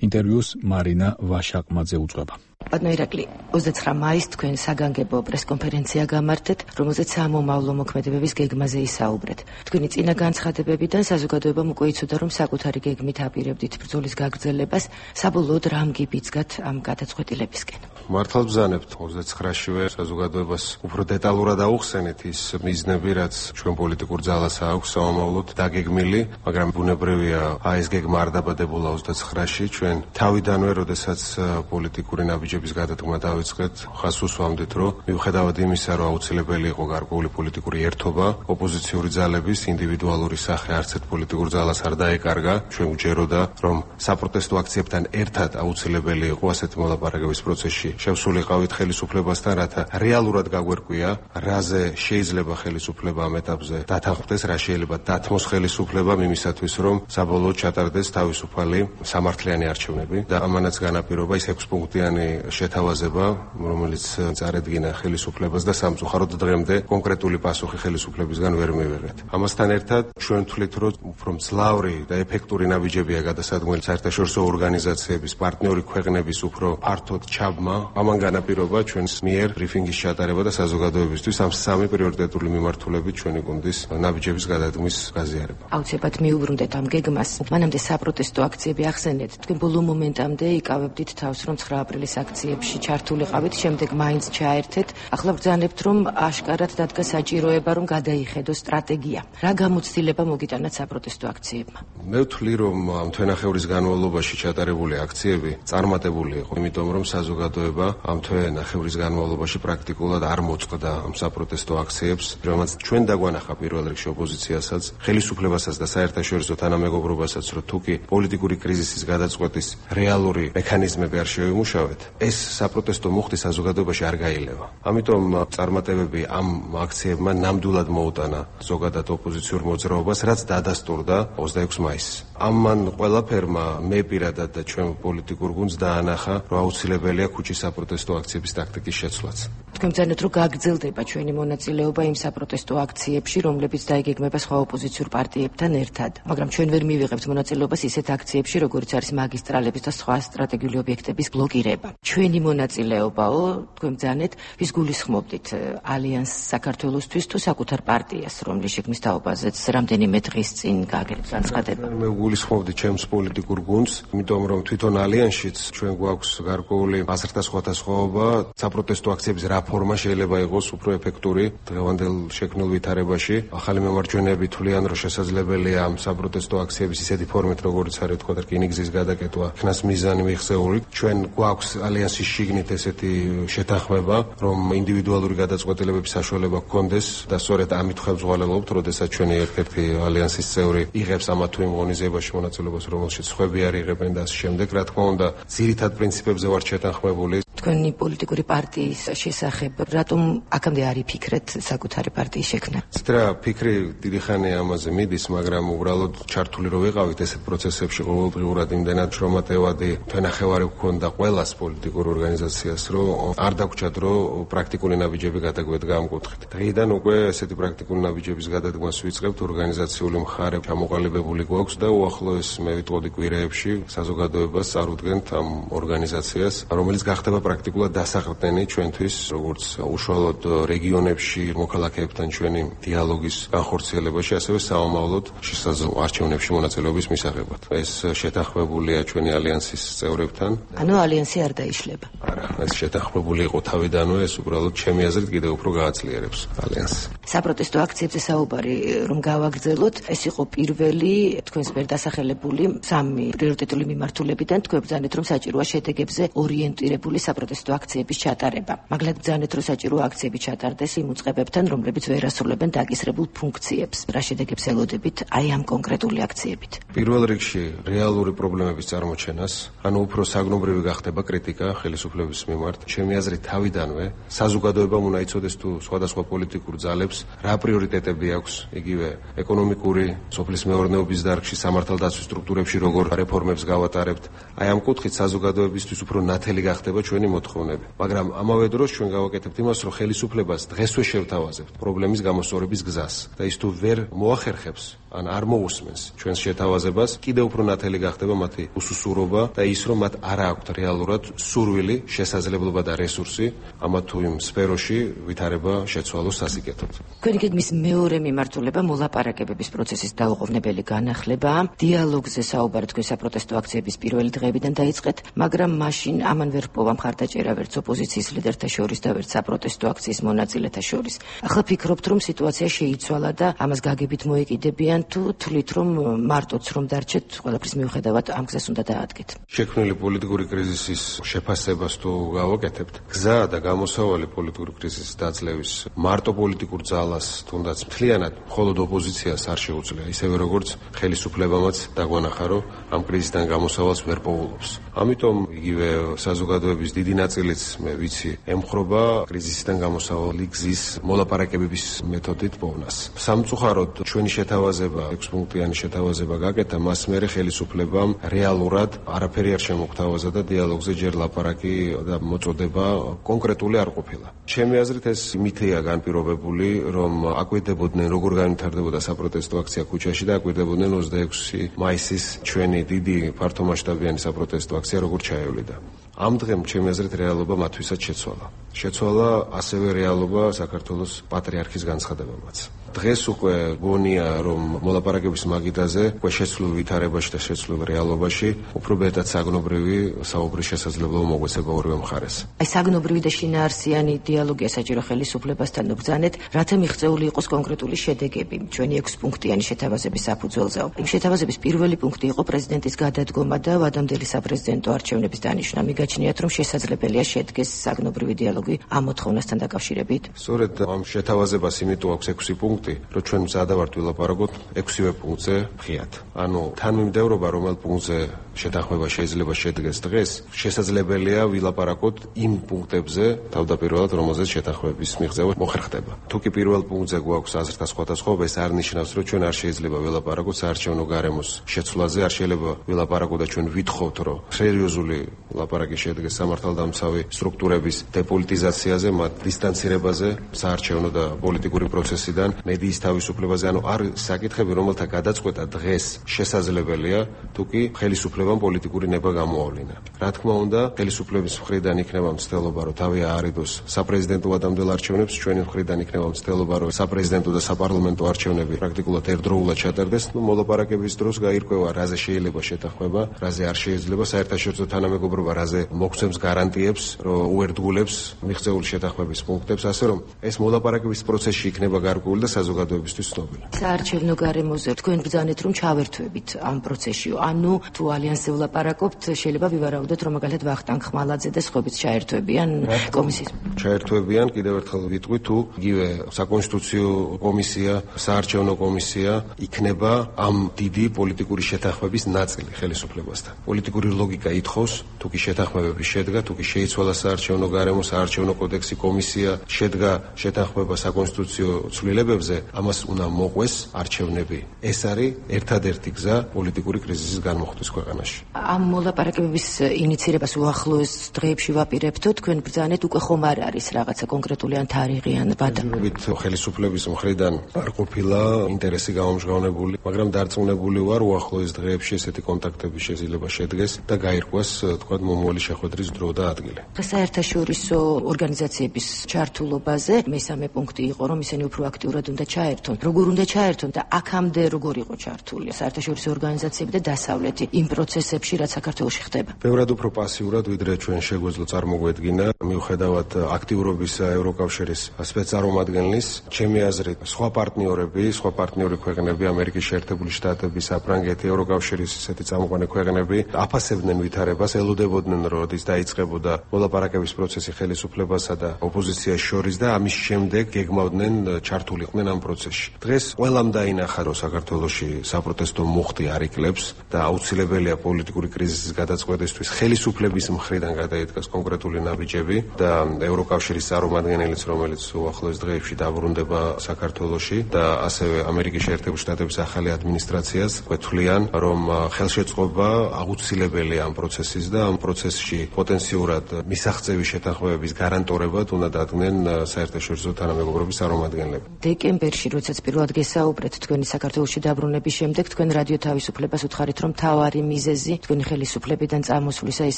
ინტერვიუს მარინა ვაშაყმაძე უძღვება.
ბატონო ირაკლი, ოცდაცხრა მაისს თქვენ საგანგებო პრესკონფერენცია გამართეთ, რომელზეც სამომავლო მოქმედებების გეგმაზე ისაუბრეთ. თქვენი წინა განცხადებებიდან საზოგადოებამ უკვე იცოდა, რომ საკუთარი გეგმით აპირებდით ბრძოლის გაგრძელებას, საბოლოოდ რამ გიბიძგათ ამ გადაწყვეტილებისკენ?
მართალ ბრძანებთ ოცდაცხრაშივე საზოგადოებას უფრო დეტალურად აუხსენეთ ის მიზნები, რაც ჩვენ პოლიტიკურ ძალას აქვს სამომავლოდ დაგეგმილი, მაგრამ ბუნებრივია ეს გეგმა არ დაბადებულა ოცდაცხრაში. ჩვენ თავიდანვე, როდესაც პოლიტიკური ნაბიჯების გადადგმა დავიწყეთ, ხას უსვამდით, რომ მიუხედავად იმისა, რომ აუცილებელი იყო გარკვეული პოლიტიკური ერთობა, ოპოზიციური ძალების ინდივიდუალური სახე არც ერთ პოლიტიკურ ძალას არ დაეკარგა. ჩვენ გვჯეროდა, რომ საპროტესტო აქციებთან ერთად აუცილებელი იყო ასეთი მოლაპარაკების პროცესში შევსულიყავით ხელისუფლებასთან, რათა რეალურად გაგვერკვია, რაზე შეიძლება ხელისუფლება ამ ეტაპზე დათანხმდეს, რა შეიძლება დათმოს ხელისუფლება იმისათვის, რომ საბოლოოდ ჩატარდეს თავისუფალი სამართლიანი არჩევნები და ამანაც განაპირობა ის ექვსპუნქტიანი შეთავაზება, რომელიც წარედგინა ხელისუფლებას და სამწუხაროდ დღემდე კონკრეტული პასუხი ხელისუფლებისგან ვერ მივიღეთ. ამასთან ერთად ჩვენ ვთვლით, რომ უფრო მძლავრი და ეფექტური ნაბიჯებია გადასადგმელი საერთაშორისო ორგანიზაციების, პარტნიორი ქვეყნების უფრო ფართოდ ჩაბმა. ამან განაპირობა ჩვენს მიერ ბრიფინგის ჩატარება და საზოგადოებისთვის ამ სამი პრიორიტეტული მიმართულებით ჩვენი გუნდის ნაბიჯების გადადგმის გაზიარება.
აუცილებლად მიუბრუნდეთ ამ გეგმას. მანამდე საპროტესტო აქციები ახსენეთ. თქვენ ბოლო მომენტამდე იკავებდით თავს, რომ ცხრა აპრილის აქციებში ჩართულიყავით, შემდეგ მაინც ჩაერთეთ. ახლა ბრძანებთ, რომ აშკარად დადგა საჭიროება, რომ გადაიხედო სტრატეგია. რა გამოცდილება მოგიტანათ საპროტესტო აქციებმა?
მე ვთვლი, რომ ამ თვენახევრის განმავლობაში ჩატარებული აქციები წარმატებული იყო, იმიტომ რომ საზოგადოება ამ თვენახევრის განმავლობაში პრაქტიკულად არ მოწყდა ამ საპროტესტო აქციებს, რომელსაც ჩვენ დაგვანახა პირველ რიგში ოპოზიციასაც, ხელისუფლებასაც და საერთაშორისო თანამეგობრობასაც, რომ თუკი პოლიტიკური კრიზისის გადაწყვეტის რეალური მექანიზმები არ შევიმუშავეთ, ეს საპროტესტო მუხტი საზოგადოებაში არ გაილევა. ამიტომ წარმატებები ამ აქციებმა ნამდვილად მოუტანა ზოგადად ოპოზიციურ მოძრაობას, რაც დადასტურდა ოცდაექვსი მაისს. ამან ყველაფერმა მე პირადად და ჩვენ პოლიტიკურ გუნდს დაანახა, რომ აუცილებელია ქუჩის საპროტესტო აქციების ტაქტიკის შეცვლაც.
თქვენ ბრძანებთ, რომ გაგრძელდება ჩვენი მონაწილეობა იმ საპროტესტო აქციებში, რომლებიც დაიგეგმება სხვა ოპოზიციურ პარტიებთან ერთად. მაგრამ ჩვენ ვერ მივიღებთ მონაწილეობას ისეთ აქციებში, როგორც არის მაგისტრალების და სხვა სტრატეგიული ობიექტების ბლოკირება. ჩვენი მონაწილეობაო, თქვენ ბრძანეთ, ვის გულისხმობდით ალიანს საქართველოსთვის თუ საკუთარ პარტიას, რომლის შექმნის თაობაზეც რამდენიმე დღის წინ გააგებთ განცხადება?
მე გულისხმობდი ჩემს პოლიტიკურ გუნდს, იმიტომ რომ თვითონ ალიანსშიც ჩვენ გვაქვს გარკვეული აზრთა სხვადასხვაობა, საპროტესტო აქციების რა ფორმა შეიძლება იყოს უფრო ეფექტური დღევანდელ შექმნილ ვითარებაში. ახალი მემარჯვენეები თვლიან, რომ შესაძლებელია ამ საპროტესტო აქციების ისეთი ფორმით, როგორც არის თქვა რკინიგზის გადაკეთვა, ხნას მიზანი მიღწეული. ჩვენ გვაქვს ალიანსის შიგნით ესეთი შეთანხმება, რომ ინდივიდუალური გადაწყვეტილებების საშუალება გქონდეს და სწორედ ამით ხელმძღვანელობთ, როდესაც ჩვენი ერთ-ერთი ალიანსის წევრი იღებს ამა თუ იმ ღონისძიებაში მონაწილეობას, რომელშიც სხვები არ იღებენ და ასე შემდეგ. რა თქმა უნდა, ძირითად პრინციპებზე ვართ შეთანხმებული.
თქვენი პოლიტიკური პარტიის შესახებ, რატომ აქამდე არ იფიქრეთ საკუთარი პარტიის შექმნა?
ცდრა ფიქრი დიდი ხანია ამაზე მიდის, მაგრამ უბრალოდ ჩართული რო ვიყავით ესეთ პროცესებში ყოველდღიურად იმდენად შრომატევადი თვენახევარი გქონდა ყველას პოლიტიკურ ორგანიზაციას, რომ არ დაგვრჩათ, რომ პრაქტიკული ნაბიჯები გადაგვედგა ამ კუთხით. დღეიდან უკვე ესეთი პრაქტიკული ნაბიჯების გადადგმას ვიწყებთ, ორგანიზაციული მხარე ჩამოყალიბებული გვაქვს და უახლოეს მე ვიტყოდი კვირეებში საზოგადოებას წარუდგენთ ამ ორგანიზაციას, რომელიც გახდება პრაქტიკულად დასაყრდენი ჩვენთვის, როგორც უშუალოდ რეგიონებში მოქალაქეებთან ჩვენი დიალოგის განხორციელებაში, ასევე საომავლოდ შესაძლო არჩევნებში მონაწილეობის მისაღებად. ეს შეთანხმებულია ჩვენი ალიანსის წევრებთან.
ანუ ალიანსი არ დაიშლება.
არა, ეს შეთანხმებული იყო თავიდანვე, ეს უბრალოდ ჩემი აზრით კიდევ უფრო გააძლიერებს ალიანსს.
საპროტესტო აქციებზე საუბარი რომ გავაგრძელოთ, ეს იყო პირველი თქვენს მიერ დასახელებული სამი პრიორიტეტული მიმართულებიდან. თქვენ ბრძანეთ, რომ საჭიროა შედეგებზე ორიენტირებული საპროტესტო აქციების ჩატარება. მაგალითად ბრძანეთ, რომ საჭიროა აქციები ჩატარდეს იმ უწყებებთან, რომლებიც ვერ ასრულებენ დაკისრებულ ფუნქციებს. რა შედეგებს ელოდებით აი ამ კონკრეტული აქციებით?
პირველ რიგში რეალური პრობლემების წარმოჩენას, ანუ უფრო საგნობრივი გახდება კრიტიკა ხელისუფლების მიმართ. ჩემი აზრით თავიდანვე საზოგადოებამ უნდა იცოდეს თუ სხვადასხვა პოლიტიკურ ძალებს რა პრიორიტეტები აქვს, იგივე ეკონომიკური, სოფლის მეურნეობის დარგში, სამართალდაცვის სტრუქტურებში როგორ რეფორმებს გავატარებთ. აი ამ კუთხით საზოგადოებისთვის უფრო ნათელი გახდება ჩვენი მოთხოვნები. მაგრამ ამავე დროს ჩვენ გავაკეთებთ იმას, რომ ხელისუფლებას დღესვე შევთავაზებთ პრობლემის გამოსწორების გზას და ის თუ ვერ მოახერხებს ან არ მოусმენს ჩვენს შეთავაზებას, კიდევ უფრო ნათელი გახდება მათი უსუსურობა და ის, რომ მათ არ აქვთ რეალურად სურვილი, შესაძლებლობა და რესურსი ამა თუ იმ სფეროში ვითარება შეცვალოს სასიკეთოდ.
თქვენი გეგმის მეორე მიმართულება მოლაპარაკებების პროცესის დაუყოვნებელი განახლებაა. დიალოგზე საუბარი თქვენ საპროტესტო აქციების პირველი დღეებიდან დაიწყეთ, მაგრამ მაშინ ამან ვერ ჰპოვა მხარდაჭერა ვერც ოპოზიციის ლიდერთა შორის და ვერც საპროტესტო აქციის მონაწილეთა შორის. ახლა ფიქრობთ, რომ სიტუაცია შეიცვალა და ამას გაგებით მოეკიდებიან, თუ თვლით, რომ მარტოც რომ დარჩეთ, ყველაფრის მიუხედავად ამ გზას უნდა დაადგეთ?
შექმნილი პოლიტიკური კრიზისის შეფასებას თუ გავაკეთებთ, გზა და გამოსავალი პოლიტიკური კრიზისის დაძლევის მარტო პოლიტიკურ ძალას თუნდაც მთლიანად მხოლოდ ოპოზიციას არ შეუძლია, ისევე როგორც ხელისუფლებამაც დაგვანახა, რომ ამ კრიზისიდან გამოსავალს ვერ პოულობს. ამიტომ იგივე საზოგადოების დიდი ნაწილიც მე ვიცი ემხრობა კრიზისიდან გამოსავალი გზის მოლაპარაკებების მეთოდით პოვნას. სამწუხაროდ ჩვენი შეთავაზება, ექვსპუნქტიანი შეთავაზება გაკეთა, მას მერე ხელისუფლებამ რეალურად არაფერი არ შემოგთავაზა და დიალოგზე ჯერ ლაპარაკი და მოწოდება კონკრეტული არ ყოფილა. ჩემი აზრით ეს მითია განპირობებული, რომ აკვირდებოდნენ როგორ განვითარდებოდა საპროტესტო აქცია ქუჩაში და აკვირდებოდნენ ოცდაექვსი მაისის ჩვენი დიდი ფართომასშტაბიანი საპროტესტო აქცია როგორ ჩაევლიდა. ამ დღემ ჩემი აზრით რეალობა მათთვისაც შეცვალა. შეცვალა ასევე რეალობა საქართველოს პატრიარქის განცხადებამაც. დღეს უკვე გონია, რომ მოლაპარაკების მაგიდაზე უკვე შეცვლილ ვითარებაში და შეცვლილ რეალობაში უფრო მეტად საგნობრივი საუბრის შესაძლებლობა მოგვეცება ორივე მხარეს.
აი საგნობრივი და შინაარსიანი დიალოგია საჭირო ხელისუფლებასთან ბრძანეთ, რათა მიღწეული იყოს კონკრეტული შედეგები ჩვენი ექვსპუნქტიანი შეთავაზების საფუძველზე. იმ შეთავაზების პირველი პუნქტი იყო პრეზიდენტის გადადგომა და ვადამდელი საპრეზიდენტო არჩევნების დანიშვნა. მიგაჩნიათ, რომ შესაძლებელია შედგეს საგნობრივი დიალოგი ამ მოთხოვნასთან დაკავშირებით?
სწორედ ამ შეთავაზებას იმიტომ აქვს ექვსი პუნქტი, რომ ჩვენ მზადავართ ვილაპარაკოთ ექვსივე პუნქტზე ღიად. ანუ თანმიმდევრობა, რომელ პუნქტზე შეთანხმება შეიძლება შედგეს დღეს, შესაძლებელია ვილაპარაკოთ იმ პუნქტებზე, თავდაპირველად რომელზეც შეთანხმების მიღწევა მოხერხდება. თუ კი პირველ პუნქტზე გვაქვს აზრთა სხვადასხვაობა, ეს არ ნიშნავს, რომ ჩვენ არ შეიძლება ვილაპარაკოთ საარჩევნო გარემოს შეცვლაზე, არ შეიძლება ვილაპარაკოთ და ჩვენ ვითხოვთ, რომ სერიოზული ლაპარაკი შედგეს სამართალდამცავი სტრუქტურების დეპოლიტიზაციაზე, მათ დისტანცირებაზე საარჩევნო და პოლიტიკური პროცესიდან, მედიის თავისუფლებაზე, ანუ არ საკითხები, რომელთა გადაწყვეტა დღეს შესაძლებელია, თუ კი ხელისუფლებამ პოლიტიკური ნება გამოავლინა. რა თქმა უნდა, ხელისუფლების მხრიდან იქნება მცდელობა, რომ თავი აარიდოს საპრეზიდენტო ვადამდელ არჩევნებს, ჩვენი მხრიდან იქნება მცდელობა, რომ საპრეზიდენტო და საპარლამენტო არჩევნები პრაქტიკულად ერთდროულად ჩატარდეს. ნუ მოლაპარაკების დროს გაირკვევა, რაზე შეიძლება შეთანხმება, რაზე არ შეიძლება, საერთაშორისო თანამეგობრობა რაზე მოგცემს გარანტიებს, რომ უერთგულებს მიღწეული შეთანხმების პუნქტებს, ასე რომ ეს მოლაპარაკების პროცესში იქნება გარკვეული და საზოგადოებისთვის ცნობილი.
საარჩევნო გარემოზე თქვენ ბრძანეთ, რომ ჩავერთვებით ამ პროცესში, ანუ თუ ალიანსი ბალანსზე ვლაპარაკობთ, შეიძლება ვივარაუდოთ, რომ მაგალითად ვახტანგ ხმალაძე და სხვებიც ჩაერთვებიან კომისიის.
ჩაერთვებიან, კიდევ ერთხელ ვიტყვი, თუ იგივე საკონსტიტუციო კომისია, საარჩევნო კომისია იქნება ამ დიდი პოლიტიკური შეთანხმების ნაწილი ხელისუფლებასთან. პოლიტიკური ლოგიკა ითხოვს, თუ კი შეთანხმებები შედგა, თუ კი შეიცვალა საარჩევნო გარემო, საარჩევნო კოდექსი, კომისია, შედგა შეთანხმება საკონსტიტუციო ცვლილებებზე, ამას უნდა მოყვეს არჩევნები. ეს არის ერთადერთი გზა პოლიტიკური კრიზისის განმოხატვის ქვეყანაში.
ამ მოლაპარაკებების ინიცირებას უახლოეს დღეებში ვაპირებთო, თქვენ ბრძანეთ, უკვე ხომ არ არის რაღაცა კონკრეტული ან თარიღი ან ბატონობით
ხელისუფლების მხრიდან არ ყოფილა ინტერესი გამომჟღავნებული, მაგრამ დარწმუნებული ვარ, უახლოეს დღეებში ესეთი კონტაქტები შეიძლება შედგეს და გაირკვას, თქვათ, მომავალი შეხვედრის დრო და ადგილი.
საერთაშორისო ორგანიზაციების ჩართულობაზე მესამე პუნქტი იყო, რომ ისინი უფრო აქტიურად უნდა ჩაერთონ. როგორ უნდა ჩაერთონ და აქამდე როგორ იყო ჩართული საერთაშორისო ორგანიზაციები და დასავლეთი იმ პროცესებში, რაც საქართველოში ხდება?
ბევრად უფრო პასიურად, ვიდრე ჩვენ შეგვეძლო წარმოგვედგინა, მიუხედავად აქტიურობის ევროკავშირის სპეცდარომადგენლის, ჩემი აზრით, სხვა პარტნიორები, სხვა პარტნიორი ქვეყნები, ამერიკის შეერთებული შტატები, საფრანგეთი, ევროკავშირის ისეთი წამყვანი ქვეყნები აფასებდნენ ვითარებას, ელოდებოდნენ, რომ ის დაიწყებოდა მოლაპარაკების პროცესი ხელისუფლებასა და ოპოზიციას შორის და ამის შემდეგ გეგმავდნენ ჩართულიყვნენ ამ პროცესში. დღეს ყველამ დაინახა, რომ საქართველოში საპროტესტო მუხტი არ იკლებს და აუცილებელია პოლიტიკური კრიზისის გადაწყვეტისთვის ხელისუფლების მხრიდან გადაიდგას კონკრეტული ნაბიჯები და ევროკავშირის წარმომადგენელიც, რომელიც უახლოეს დღეებში დაბრუნდება საქართველოში და ასევე ამერიკის შეერთებული შტატების ახალი ადმინისტრაციას გვეთვლიან, რომ ხელშეწყობა აუცილებელია ამ პროცესის და ამ პროცესში პოტენციურად მისაღწევი შეთანხმებების გარანტორებად უნდა დადგნენ საერთაშორისო თანამეგობრობის წარმომადგენლები.
დეკემბერში, როდესაც პირველად გესაუბრეთ თქვენი საქართველოში დაბრუნების შემდეგ, თქვენ რადიო თავისუფლებას უთხარით, რომ მთავარი მიზეზი თქვენი ხელისუფლებიდან წამოსვლისა ის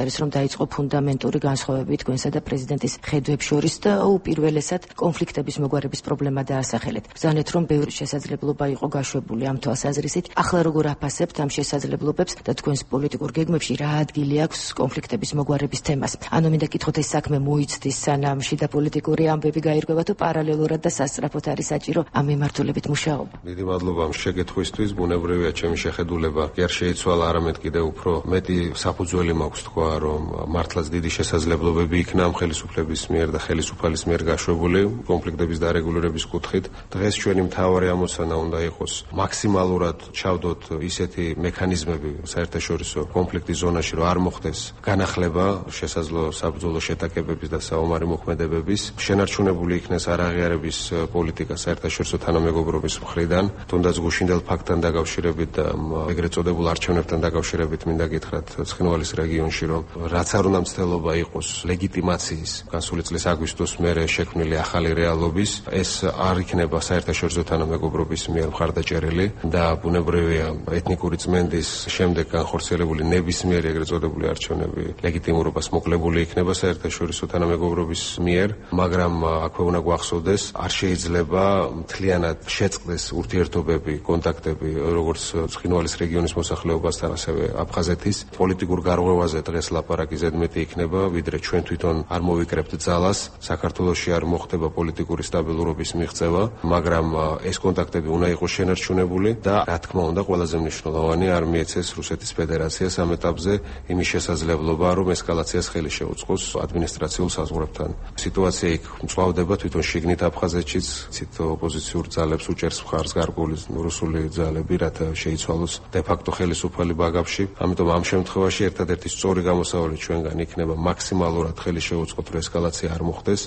არის, რომ დაიწყო ფუნდამენტური განსხვავებები თქვენსა და პრეზიდენტის ხედვებს შორის და უპირველესად კონფლიქტების მოგვარების პრობლემა დაასახელეთ. ბრძანეთ, რომ ბევრი შესაძლებლობა იყო გაშვებული ამ თვალსაზრისით. ახლა როგორ აფასებთ ამ შესაძლებლობებს და თქვენს პოლიტიკურ გეგმებში რა ადგილი აქვს კონფლიქტების მოგვარების თემას? ანუ მინდა კითხოთ, ეს საქმე მოიცდის, სანამ შიდა პოლიტიკური ამბები გაირკვევა, თუ პარალელურად და სასწრაფოდ არის საჭირო ამ მიმართულებით მუშაობა?
დიდი მადლობა ამ შეკითხვისთვის. ბუნებრივია ჩემი შეხედულება კი არ შეიცვალა, არამედ კიდევ უფრო მეტი საფუძველი მაქვს თქვა, რომ მართლაც დიდი შესაძლებლობები იქნა ამ ხელისუფლების მიერ და ხელისუფალის მიერ გაშვებული კონფლიქტების დარეგულირების კუთხით. დღეს ჩვენი მთავარი ამოცანა უნდა იყოს მაქსიმალურად ჩავდოთ ისეთი მექანიზმები საერთაშორისო კონფლიქტის ზონაში, რომ არ მოხდეს განახლება შესაძლო საბრძოლო შეტაკებების და საომარი მოქმედებების, შენარჩუნებული იქნეს არაღიარების პოლიტიკა საერთაშორისო თანამეგობრობის მხრიდან, თუნდაც გუშინდელ ფაქტთან დაკავშირებით და ეგრეთ წოდებულ არჩევნებთან დაკავშირებით მინდა გითხრათ ცხინვალის რეგიონში, რომ რაც არ უნდა მცდელობა იყოს ლეგიტიმაციის გასული წლის აგვისტოს მერე შექმნილი ახალი რეალობის, ეს არ იქნება საერთაშორისო თანამეგობრობის მიერ მხარდაჭერილი და ბუნებრივია ეთნიკური წმენდის შემდეგ განხორციელებული ნებისმიერი ეგრეთ წოდებული არჩევნები ლეგიტიმურობას მოკლებული იქნება საერთაშორისო თანამეგობრობის მიერ, მაგრამ აქვე უნდა გვახსოვდეს, არ შეიძლება მთლიანად შეწყდეს ურთიერთობები, კონტაქტები როგორც ცხინვალის რეგიონის მოსახლეობასთან, ასევე აფხაზეთის. პოლიტიკურ გარღვევაზე დღეს ლაპარაკი ზედმეტი იქნება, ვიდრე ჩვენ თვითონ არ მოვიკრებთ ძალას, საქართველოში არ მოხდება პოლიტიკური სტაბილურობის მიღწევა, მაგრამ ეს კონტაქტები უნდა იყოს შენარჩუნებული და რა თქმა უნდა ყველაზე მნიშვნელოვანი არ მიეცეს რუსეთის ფედერაციას ამ ეტაპზე იმის შესაძლებლობა, რომ ესკალაციას ხელი შეუწყოს ადმინისტრაციულ საზღვრებთან. სიტუაცია იქ მწვავდება თვითონ შიგნით აფხაზეთშიც, ცით ოპოზიციურ ძალებს უჭერს მხარს გარკვეული რუსული ძალები, რათა შეიცვალოს დე-ფაქტო ხელისუფალი ბაგაფში. ამიტომ ამ შემთხვევაში ერთადერთი სწორი გამოსავალი ჩვენგან იქნება მაქსიმალურად ხელი შეუწყოთ, რომ ესკალაცია არ მოხდეს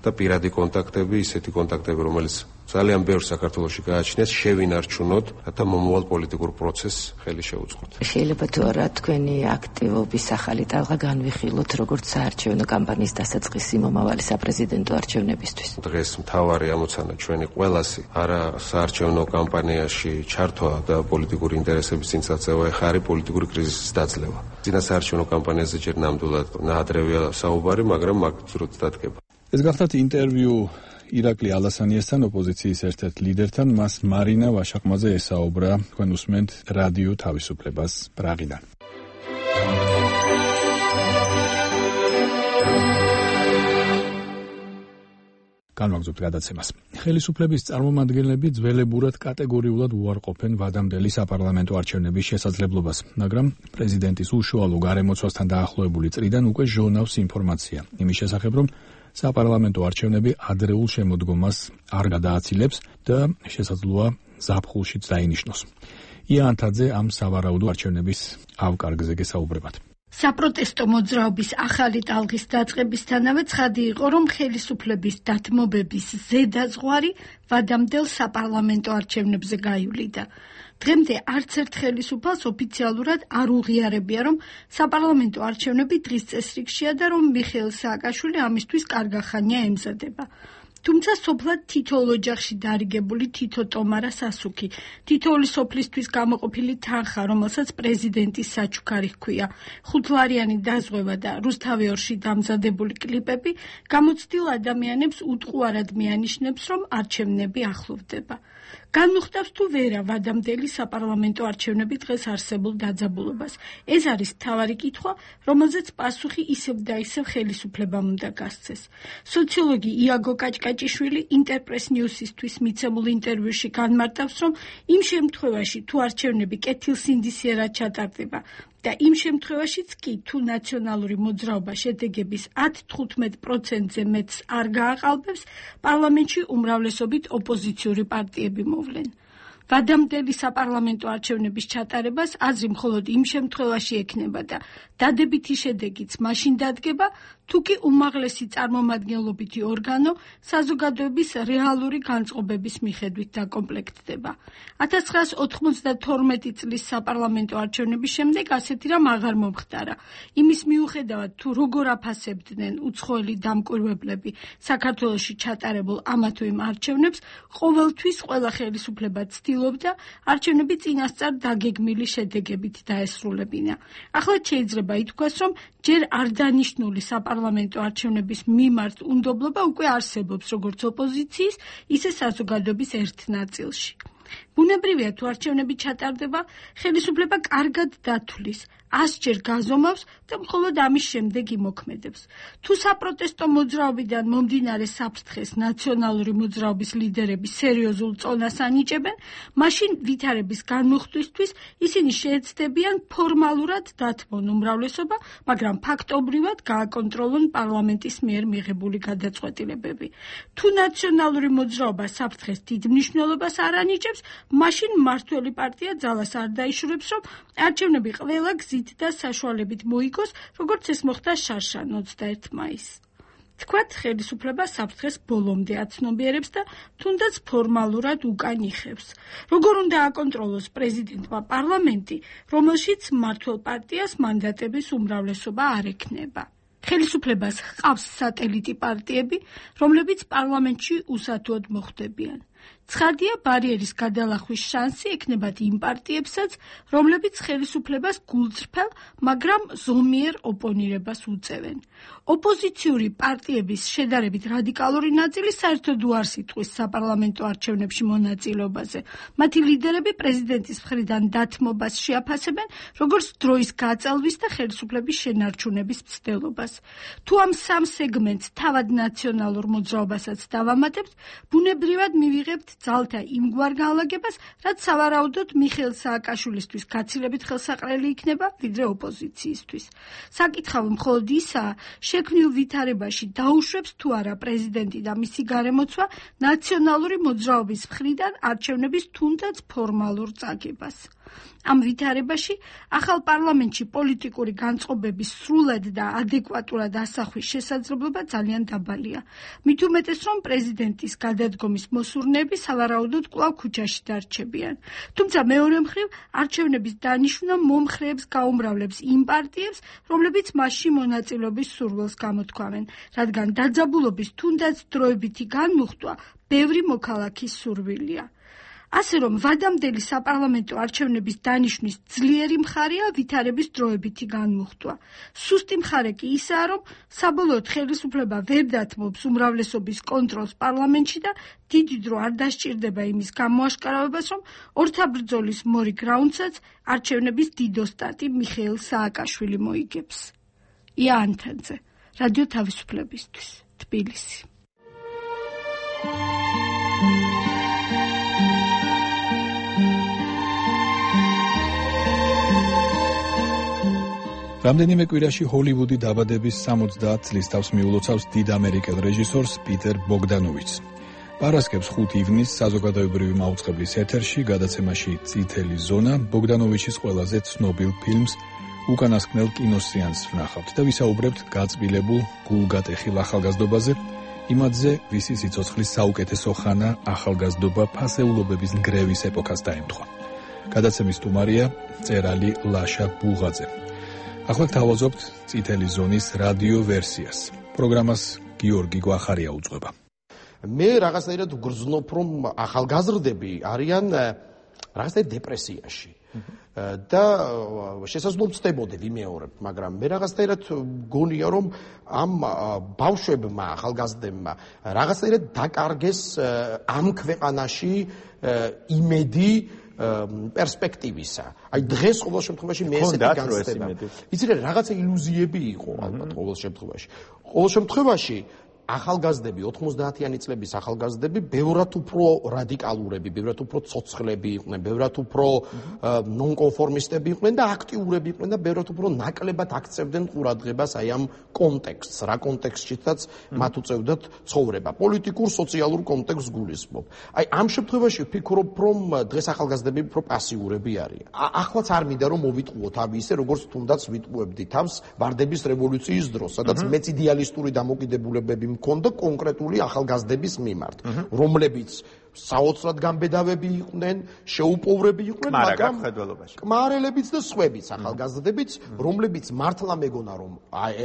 და პირადი კონტაქტები, ისეთი კონტაქტები, რომელიც ძალიან ბევრ საქართველოში გააჩნიათ, შევინარჩუნოთ და მომავალ პოლიტიკურ პროცესს ხელი შევუწყოთ.
შეიძლება თუ არა თქვენი აქტივობის ახალი ტალღა განვიხილოთ, როგორც საარჩევნო კამპანიის დასაწყისი მომავალი საპრეზიდენტო არჩევნებისთვის?
დღეს მთავარი ამოცანა ჩვენი ყველასი არა საარჩევნო კამპანიაში ჩართვა და პოლიტიკური ინტერესების წინ წაწევა, ეხლა არის პოლიტიკური კრიზისის დაძლევა. წინა საარჩევნო კამპანიაზე ჯერ ნამდვილად ნაადრევია საუბარი, მაგრამ მაგ ძროც დადგება.
ეს გახლავთ ინტერვიუ ირაკლი ალასანიასთან, ოპოზიციის ერთ-ერთ ლიდერთან, მას მარინა ვაშაყმაძე ესაუბრა. თქვენ უსმენთ რადიო თავისუფლებას პრაღიდან. განვაგრძობთ გადაცემას. ხელისუფლების წარმომადგენლები ძველებურად კატეგორიულად უარყოფენ ვადამდელი საპარლამენტო არჩევნების შესაძლებლობას, მაგრამ პრეზიდენტის უშუალო გარემოცვასთან დაახლოებული წრიდან უკვე ჟონავს ინფორმაცია იმის შესახებ, რომ საპარლამენტო არჩევნები ადრეულ შემოდგომას არ გადააცილებს და შესაძლოა ზაფხულშიც დაინიშნოს. ია ანთაძე ამ სავარაუდო არჩევნების ავკარგზე გესაუბრებათ.
საპროტესტო მოძრაობის ახალი ტალღის დაწყებისთანავე ცხადი იყო, რომ ხელისუფლების დათმობების ზედაზღვარი ვადამდელ საპარლამენტო არჩევნებზე გაივლიდა. დღემდე არც ერთ ხელისუფალს ოფიციალურად არ უღიარებია, რომ საპარლამენტო არჩევნები დღის წესრიგშია და რომ მიხეილ სააკაშვილი ამისთვის კარგა ხანია ემზადება. თუმცა სოფლად თითოეულ ოჯახში დარიგებული თითო ტომარა სასუქი, თითოეული სოფლისთვის გამოყოფილი თანხა, რომელსაც პრეზიდენტის საჩუქარი ჰქვია, ხუთლარიანი დაზღვევა და რუსთავიორში დამზადებული კლიპები გამოცდილ ადამიანებს უტყუარად მიანიშნებს, რომ არჩევნები ახლოვდება. განუხტავს თუ ვერა ვადამდელი საპარლამენტო არჩევნები დღეს არსებულ დაძაბულობას. ეს არის მთავარი კითხვა, რომელზეც პასუხი ისევ და ისევ ხელისუფლებამ უნდა გასცეს. სოციოლოგი იაგო კაჭკაჭიშვილი ინტერპრეს ნიუსისთვის მიცემულ ინტერვიუში განმარტავს, რომ იმ შემთხვევაში თუ არჩევნები კეთილსინდისიერად ჩატარდება და იმ შემთხვევაშიც კი თუ ნაციონალური მოძრაობა შედეგების ათ-თხუთმეტ პროცენტზე მეტს არ გააყალბებს, პარლამენტში უმრავლესობით ოპოზიციური პარტიები მოვლენ. ვადამდელი საპარლამენტო არჩევნების ჩატარებას აზრი მხოლოდ იმ შემთხვევაში ექნება და დადებითი შედეგიც მაშინ დადგება, თუ კი უმაღლესი წარმომადგენლობითი ორგანო საზოგადოების რეალური განწყობების მიხედვით დაკომპლექტდება. ათას ცხრაას ოთხმოცდათორმეტი წლის საპარლამენტო არჩევნების შემდეგ ასეთი რამ აღარ მომხდარა. იმის მიუხედავად, თუ როგორ აფასებდნენ უცხოელი დამკვირვებლები საქართველოში ჩატარებულ ამა თუ იმ არჩევნებს, ყოველთვის ყველა ხელისუფლება ცდილობდა არჩევნები წინასწარ დაგეგმილი შედეგებით დაესრულებინა. ახლა შეიძლება ითქვას, რომ ჯერ არ დანიშნული საპარლამენტო არჩევნების მიმართ უნდობლობა უკვე არსებობს როგორც ოპოზიციის, ისე საზოგადოების ერთ ნაწილში. ბუნებრივია, თუ არჩევნები ჩატარდება, ხელისუფლება კარგად დათვლის, ასჯერ გაზომავს და მხოლოდ ამის შემდეგ იმოქმედებს. თუ საპროტესტო მოძრაობიდან მომდინარე საფრთხეს ნაციონალური მოძრაობის ლიდერები სერიოზულ წონას ანიჭებენ, მაშინ ვითარების განმუხტვისთვის ისინი შეეცდებიან ფორმალურად დათმონ უმრავლესობა, მაგრამ ფაქტობრივად გააკონტროლონ პარლამენტის მიერ მიღებული გადაწყვეტილებები. თუ ნაციონალური მოძრაობა საფრთხეს დიდ მნიშვნელობას არ ანიჭებს, მაშინ მმართველი პარტია ძალას არ დაიშურებს, რომ არჩევნები ყველა გზით და საშუალებით მოიგოს, როგორც ეს მოხდა შარშან ოცდაერთი მაისს. თქვათ, ხელისუფლება საფრთხეს ბოლომდე აცნობიერებს და თუნდაც ფორმალურად უკან იხევს. როგორ უნდა აკონტროლოს პრეზიდენტმა პარლამენტი, რომელშიც მმართველ პარტიას მანდატების უმრავლესობა არ ექნება. ხელისუფლებას ჰყავს სატელიტი პარტიები, რომლებიც პარლამენტში უსათუოდ მოხვდებიან. ცხადია, ბარიერის გადალახვის შანსი ექნებათ იმ პარტიებსაც, რომლებიც ხელისუფლებას გულწრფელ, მაგრამ ზომიერ ოპონირებას უწევენ. ოპოზიციური პარტიების შედარებით რადიკალური ნაწილი საერთოდ უარს იტყვის საპარლამენტო არჩევნებში მონაწილეობაზე. მათი ლიდერები პრეზიდენტის მხრიდან დათმობას შეაფასებენ, როგორც დროის გაწელვის და ხელისუფლების შენარჩუნების მცდელობას. თუ ამ სამ სეგმენტს თავად ნაციონალურ მოძრაობასაც დავამატებთ, ბუნებრივად მივიღებთ ძალთა იმგვარ განლაგებას, რაც სავარაუდოდ მიხეილ სააკაშვილისთვის გაცილებით ხელსაყრელი იქნება, ვიდრე ოპოზიციისთვის. საკითხავი მხოლოდ ისაა, შექმნილ ვითარებაში დაუშვებს თუ არა პრეზიდენტი და მისი გარემოცვა ნაციონალური მოძრაობის მხრიდან არჩევნების თუნდაც ფორმალურ წაგებას. ამ ვითარებაში ახალ პარლამენტში პოლიტიკური განწყობების სრულად და ადეკვატურად ასახვის შესაძლებლობა ძალიან დაბალია. მით უმეტეს, რომ პრეზიდენტის გადადგომის მოსურნეები სავარაუდოდ კვლავ ქუჩაში დარჩებიან. თუმცა მეორე მხრივ, არჩევნების დანიშვნა მომხრეებს გაუმრავლებს იმ პარტიებს, რომლებიც მასში მონაწილეობის სურვილს გამოთქვამენ, რადგან დაძაბულობის თუნდაც დროებითი განმუხტვა ბევრი მოქალაქის სურვილია. ასე რომ ვადამდელი საპარლამენტო არჩევნების დანიშვნის ძლიერი მხარეა ვითარების დროებითი განმუხტვა. სუსტი მხარე კი ისაა, რომ საბოლოოდ ხელისუფლება ვერ დათმობს უმრავლესობის კონტროლს პარლამენტში და დიდი დრო არ დასჭირდება იმის გამოაშკარავებას, რომ ორთაბრძოლის მორიგ რაუნდსაც არჩევნების დიდოსტატი მიხეილ სააკაშვილი მოიგებს. ია ანთაძე, რადიო თავისუფლებისთვის, თბილისი.
რამდენიმე კვირაში ჰოლივუდი დაბადების სამოცდაათ წლის თავს მიულოცავს დიდ ამერიკელ რეჟისორს პიტერ ბოგდანოვიჩს. პარასკევს ხუთი ივნისს საზოგადოებრივი მაუწყებლის ეთერში გადაცემაში წითელი ზონა ბოგდანოვიჩის ყველაზე ცნობილ ფილმს უკანასკნელ კინოსეანსს ვნახავთ და ვისაუბრებთ გაწმილებულ გულგატეხილ ახალგაზრდობაზე, იმათზე, ვისი სიცოცხლის საუკეთესო ხანა ახალგაზრდობა ფასეულობების ნგრევის ეპოქას დაემთხვა. გადაცემის სტუმარია მწერალი ლაშა ბუღაძე. ახლა გთავაზობთ წითელი ზონის რადიო ვერსიას. პროგრამას გიორგი გვახარია უძღვება.
მე რაღაცნაირად ვგრძნობ, რომ ახალგაზრდები არიან რაღაცნაირად დეპრესიაში. და შესაძლოა ვწდებოდე ვიმეორებ, მაგრამ მე რაღაცნაირად გონია, რომ ამ ბავშვებმა, ახალგაზრდებმა რაღაცნაირად დაკარგეს ამ ქვეყანაში იმედი პერსპექტივისა. აი დღეს ყოველ შემთხვევაში მე ესეთი განცდება. იცი რა, რაღაცა ილუზიები იყო ალბათ ყოველ შემთხვევაში. ყოველ შემთხვევაში ახალგაზრდები, ოთხმოცდაათიანი წლების ახალგაზრდები ბევრად უფრო რადიკალურები, ბევრად უფრო ცოცხლები იყვნენ, ბევრად უფრო ნონკონფორმისტები იყვნენ და აქტიურები იყვნენ და ბევრად უფრო ნაკლებად აქცევდნენ ყურადღებას აი ამ კონტექსტს, რა კონტექსტშიც მათ უწევდათ ცხოვრება. პოლიტიკურ, სოციალურ კონტექსტს გულისხმობ. აი ამ შემთხვევაში ვფიქრობ, რომ დღეს ახალგაზრდები უფრო პასიურები არიან. ახლაც არ მინდა რომ მოვიტყუოთ ავი ისე, როგორც თუნდაც ვიტყუებდი თავს ვარდების რევოლუციის დროს, სადაც მეც იდეალისტური დამოკიდებულებები მქონდა კონკრეტული ახალგაზრდების მიმართ, რომლებიც საოცრად გამბედავები იყვნენ, შეუპოვრები იყვნენ, მაგრამ კმარელებიც და სხვებიც ახალგაზრდებიც, რომლებიც მართლა მეგონა რომ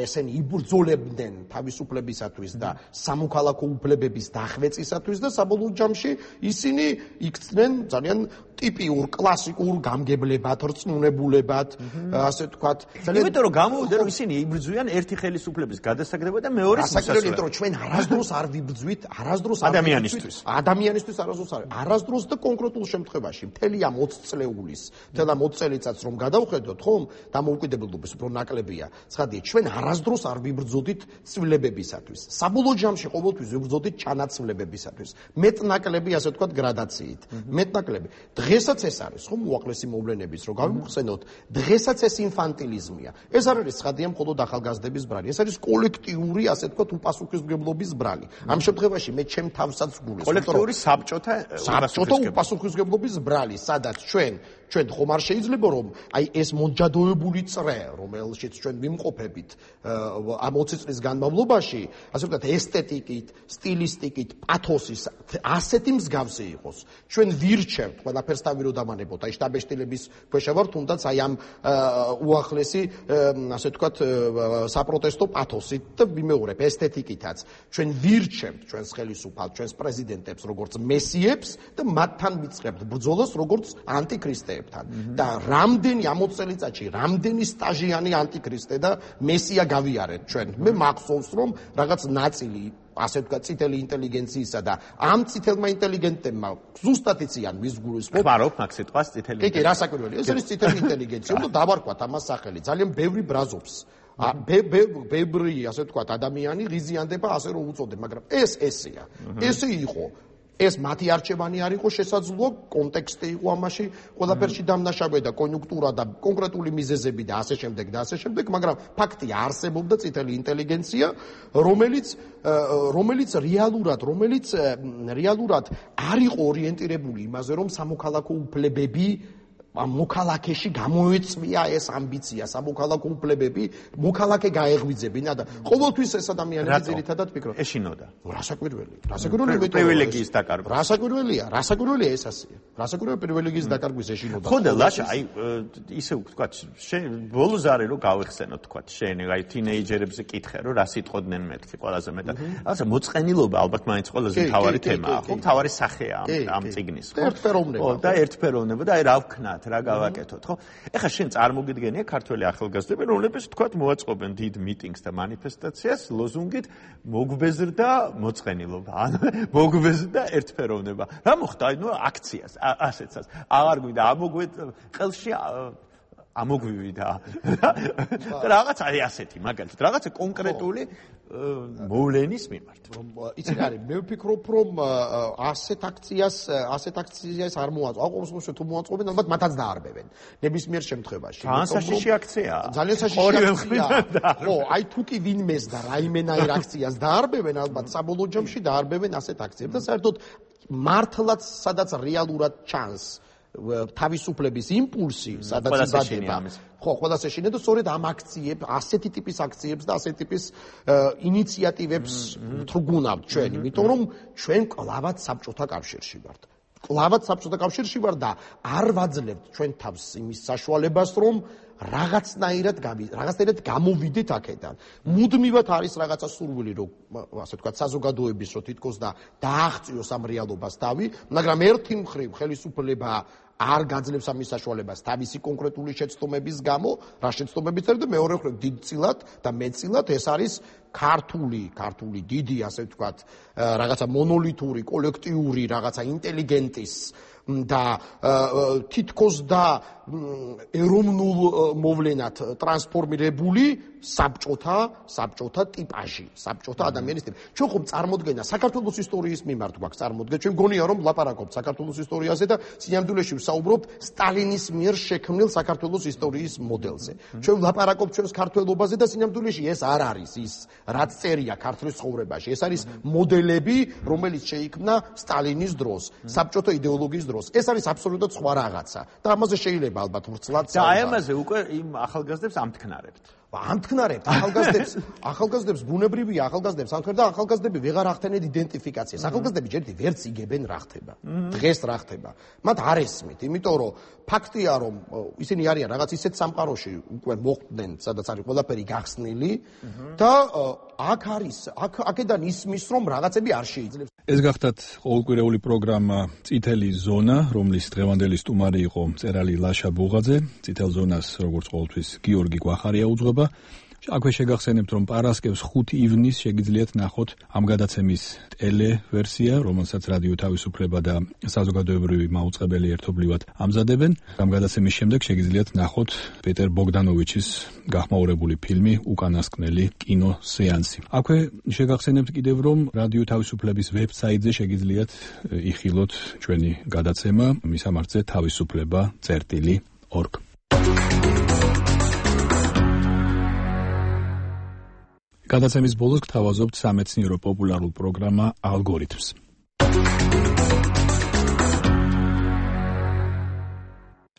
ესენი იბრძოლებდნენ თავისუფლებისათვის და სამოქალაქო უფლებების დახვეწისათვის და საბოლოო ჯამში ისინი იქცნენ ძალიან ტიპიურ კლასიკურ გამგებლებად, რწმუნებულებად, ასე ვთქვათ.
იმიტომ რომ გამოვიდა რომ ისინი იბრძვიან ერთი ხელისუფლების გადასაგდება და მეორეს
მოსასწრებით. იმიტომ რომ ჩვენ არასდროს არ ვიბრძვით, არასდროს არ
ადამიანისთვის.
ადამიანისთვის არასდროს არ. არასდროს და კონკრეტულ შემთხვევაში, მთელი ამ ოცი წლეულის, მთელ ამ ოცი წელიწადს რომ გადავხედოთ, ხომ, დამოუკიდებლობის უფრო ნაკლებია. ცხადია, ჩვენ არასდროს არ ვიბრძოდით ცვლილებებისათვის. საბოლოო ჯამში ყოველთვის ვიბრძოდით ჩანაცვლებებისათვის. მეტნაკლები, ასე ვთქვათ, გრადაციით. მეტნაკლები. დღესაც ეს არის, ხომ, უახლესი მოვლენების, რომ გავიმხსენოთ, დღესაც ეს ინფანტილიზმია. ეს არ არის ცხადია მხოლოდ ახალგაზრდების ბრალი, ეს არის კოლექტიური, ასე ვთქვათ, უპასუხისმგებლობის ბრალი. ამ შემთხვევაში მე ჩემ თავსაც გულისხმობ.
კოლექტიური საბჭოთა
საბჭოთა უპასუხისმგებლობის ბრალი, სადაც ჩვენ ჩვენ ხომ არ შეიძლება რომ აი ეს მოჯადოებული წრე, რომელშიც ჩვენ ვიმყოფებით ამ ოცი წლის განმავლობაში, ასე ვთქვათ, ესთეტიკით, სტილისტიკით, პათოსის ასეთი მსგავსი იყოს. ჩვენ ვირჩევთ ყველაფერს თავი რომ დამანებოთ, აი შტაბეშტილების ქვეშ ვარ, თუნდაც აი ამ უახლესი, ასე ვთქვათ, საპროტესტო პათოსით და ვიმეორებ ესთეტიკითაც. ჩვენ ვირჩევთ ჩვენს ხელისუფალს, ჩვენს პრეზიდენტებს როგორც მესიებს და მათთან ვიწყებთ ბრძოლას როგორც ანტიქრისტეებს. და რამდენი ამ ოცი წელიწადში რამდენი სტაჟიანი ანტიქრისტე და მესია გავიარეთ ჩვენ. მე მახსოვს რომ რაღაც ნაწილი ასე ვთქვათ წითელი ინტელიგენციისა და ამ წითელმა ინტელიგენტებმა ზუსტად იციან ვის გულისხმობ.
ხმარობ მაგ სიტყვას წითელი.
კი, კი, რა საკვირველია. ეს არის წითელი ინტელიგენცია და დავარქვათ ამას სახელი. ძალიან ბევრი ბრაზობს. ბევრი, ასე ვთქვათ, ადამიანი ღიზიანდება ასე რომ უწოდებ, მაგრამ ეს ესეა. ესე იყო. ეს მათი არჩევანი არ იყო შესაძლოა, კონტექსტი იყო ამაში, ყველაფერში დამნაშავე და კონიუნქტურა და კონკრეტული მიზეზები და ასე შემდეგ და ასე შემდეგ, მაგრამ ფაქტია არსებობდა წითელი ინტელიგენცია, რომელიც რომელიც რეალურად, რომელიც რეალურად არ იყო ორიენტირებული იმაზე, რომ სამოქალაქო უფლებები მოქალაქეში გამოეწვია ეს ამბიცია, სამოქალაქო უფლებები მოქალაქე გაეღვიძებინა და ყოველთვის ეს ადამიანები ძირითადად ფიქრობენ.
ეშინოდა.
რა საკვირველია? რა საკვირველია?
პრივილეგიის დაკარგვა.
რა საკვირველია? რა საკვირველია ეს ასეა? რა საკვირველია პრივილეგიის დაკარგვის ეშინოდა?
ხო და ლაშა, აი ისე ვთქვათ, შენ ბოლოს არის რომ გავეხსენოთ, ვთქვათ, შენ აი თინეიჯერებზე კითხე, რომ რა სიტყოდნენ მეთქი ყველაზე მეტად. რაღაცა მოწყენილობა ალბათ მაინც ყველაზე მთავარი თემაა, ხო? მთავარი სახეა ამ წიგნის, ხო?
ერთფეროვნება.
და ერთფეროვნება და აი რა ვქნათ, რა გავაკეთოთ, ხო? ეხლა შენ წარმოგიდგენია ქართველი ახალგაზრდები, რომლებიც თქვათ მოაწყობენ დიდ მიტინგს და მანიფესტაციას ლოზუნგით მოგვბეზრდა მოწყენილობა, ან მოგვბეზრდა ერთფეროვნება. რა მოხდა? აი ნუ აქციას, ასეცას. აღარ გვინდა ამოგვეთ ყელში ამოგვივი და რაღაცა აი ასეთი მაგალითად რაღაცა კონკრეტული მოვლენის მიმართ.
იცი რა არის, მე ვფიქრობ, რომ ასეთ აქციას, ასეთ აქციას არ მოაწყო. აუ ყოველ შემთხვევაში თუ მოაწყობენ, ალბათ მათაც დაარბევენ. ნებისმიერ შემთხვევაში.
ძალიან საშიში აქციაა.
ძალიან საშიში აქციაა. ხო, აი თუ კი ვინმეს და რაიმენაირ აქციას დაარბევენ, ალბათ საბოლოო ჯამში დაარბევენ ასეთ აქციებს და საერთოდ მართლაც სადაც რეალურად ჩანს თავისუფლების იმპულსი, სადაც იბადება. ხო, ყველას ეშინე და სწორედ ამ აქციებს, ასეთი ტიპის აქციებს და ასეთი ტიპის ინიციატივებს ვთრგუნავთ ჩვენ, იმიტომ რომ ჩვენ კლავად საბჭოთა კავშირში ვართ. კლავად საბჭოთა კავშირში ვართ და არ ვაძლევთ ჩვენ თავს იმის საშუალებას, რომ რაღაცნაირად რაღაცნაირად გამოვიდეთ აქედან. მუდმივად არის რაღაცა სურვილი, რომ ასე ვთქვათ, საზოგადოების რო თითქოს და დააღწიოს ამ რეალობას თავი, მაგრამ ერთი მხრივ ხელისუფლება არ გაძლევს ამის საშუალებას თავისი კონკრეტული შეცდომების გამო, რა შეცდომებიც არის და მეორე მხრივ დიდწილად და მეტწილად ეს არის ქართული, ქართული დიდი, ასე ვთქვათ, რაღაცა მონოლითური, კოლექტიური, რაღაცა ინტელიგენტის და თითქოს და ეროვნულ მოვლენად ტრანსფორმირებული საბჭოთა, საბჭოთა ტიპაჟი, საბჭოთა ადამიანის ტიპი. ჩვენ ხომ წარმოდგენა საქართველოს ისტორიის მიმართ გვაქვს წარმოდგენა, ჩვენ გონია რომ ლაპარაკობთ საქართველოს ისტორიაზე და სინამდვილეში ვსაუბრობთ სტალინის მიერ შექმნილ საქართველოს ისტორიის მოდელზე. ჩვენ ლაპარაკობთ ჩვენს ქართველობაზე და სინამდვილეში ეს არ არის ის, რაც წერია ქართლის ცხოვრებაში. ეს არის მოდელები, რომელიც შეიქმნა სტალინის დროს, საბჭოთა იდეოლოგიის დროს. ეს არის აბსოლუტურად სხვა რაღაცა და ამაზე შეიძლება ალბათ ვრცლად
და აი ამაზე უკვე იმ ახალგაზრდებს ამთქნარებთ.
ამთქნარებთ ახალგაზრდებს, ახალგაზრდებს ბუნებრივია ახალგაზრდებს ამთქნარ და ახალგაზრდები ვეღარ ახდენენ იდენტიფიკაციას. ახალგაზრდები ჯერჯერობით ვერც იგებენ რა ხდება. დღეს რა ხდება. მათ არ ესმით, იმიტომ რომ ფაქტია რომ ისინი არიან რაღაც ისეთ სამყაროში უკვე მოხვდნენ, სადაც არის ყველაფერი გახსნილი და აქ არის, აქ აქედან ისმის რომ რაღაცები არ შეიძლება.
ეს გახდათ ყოველკვირეული პროგრამა წითელი ზონა, რომლის დღევანდელი სტუმარი იყო მწერალი ლაშა ბუღაძე. წითელ ზონას როგორც ყოველთვის გიორგი გვახარია უძღვება. აქვე შეგახსენებთ, რომ პარასკევს ხუთი ივნისს შეგიძლიათ ნახოთ ამ გადაცემის ტელევერსია, რომელსაც რადიო თავისუფლება და საზოგადოებრივი მაუწყებელი ერთობლივად ამზადებენ. ამ გადაცემის შემდეგ შეგიძლიათ ნახოთ პეტერ ბოგდანოვიჩის გახმაურებული ფილმი უკანასკნელი კინოსეანსი. აქვე შეგახსენებთ კიდევ, რომ რადიო თავისუფლების ვებსაიტზე შეგიძლიათ იხილოთ ჩვენი გადაცემა, მისამართზე თავისუფლება წერტილი ორგ. გადაცემის ბოლოს გთავაზობთ სამეცნიერო პოპულარულ პროგრამა ალგორითმს.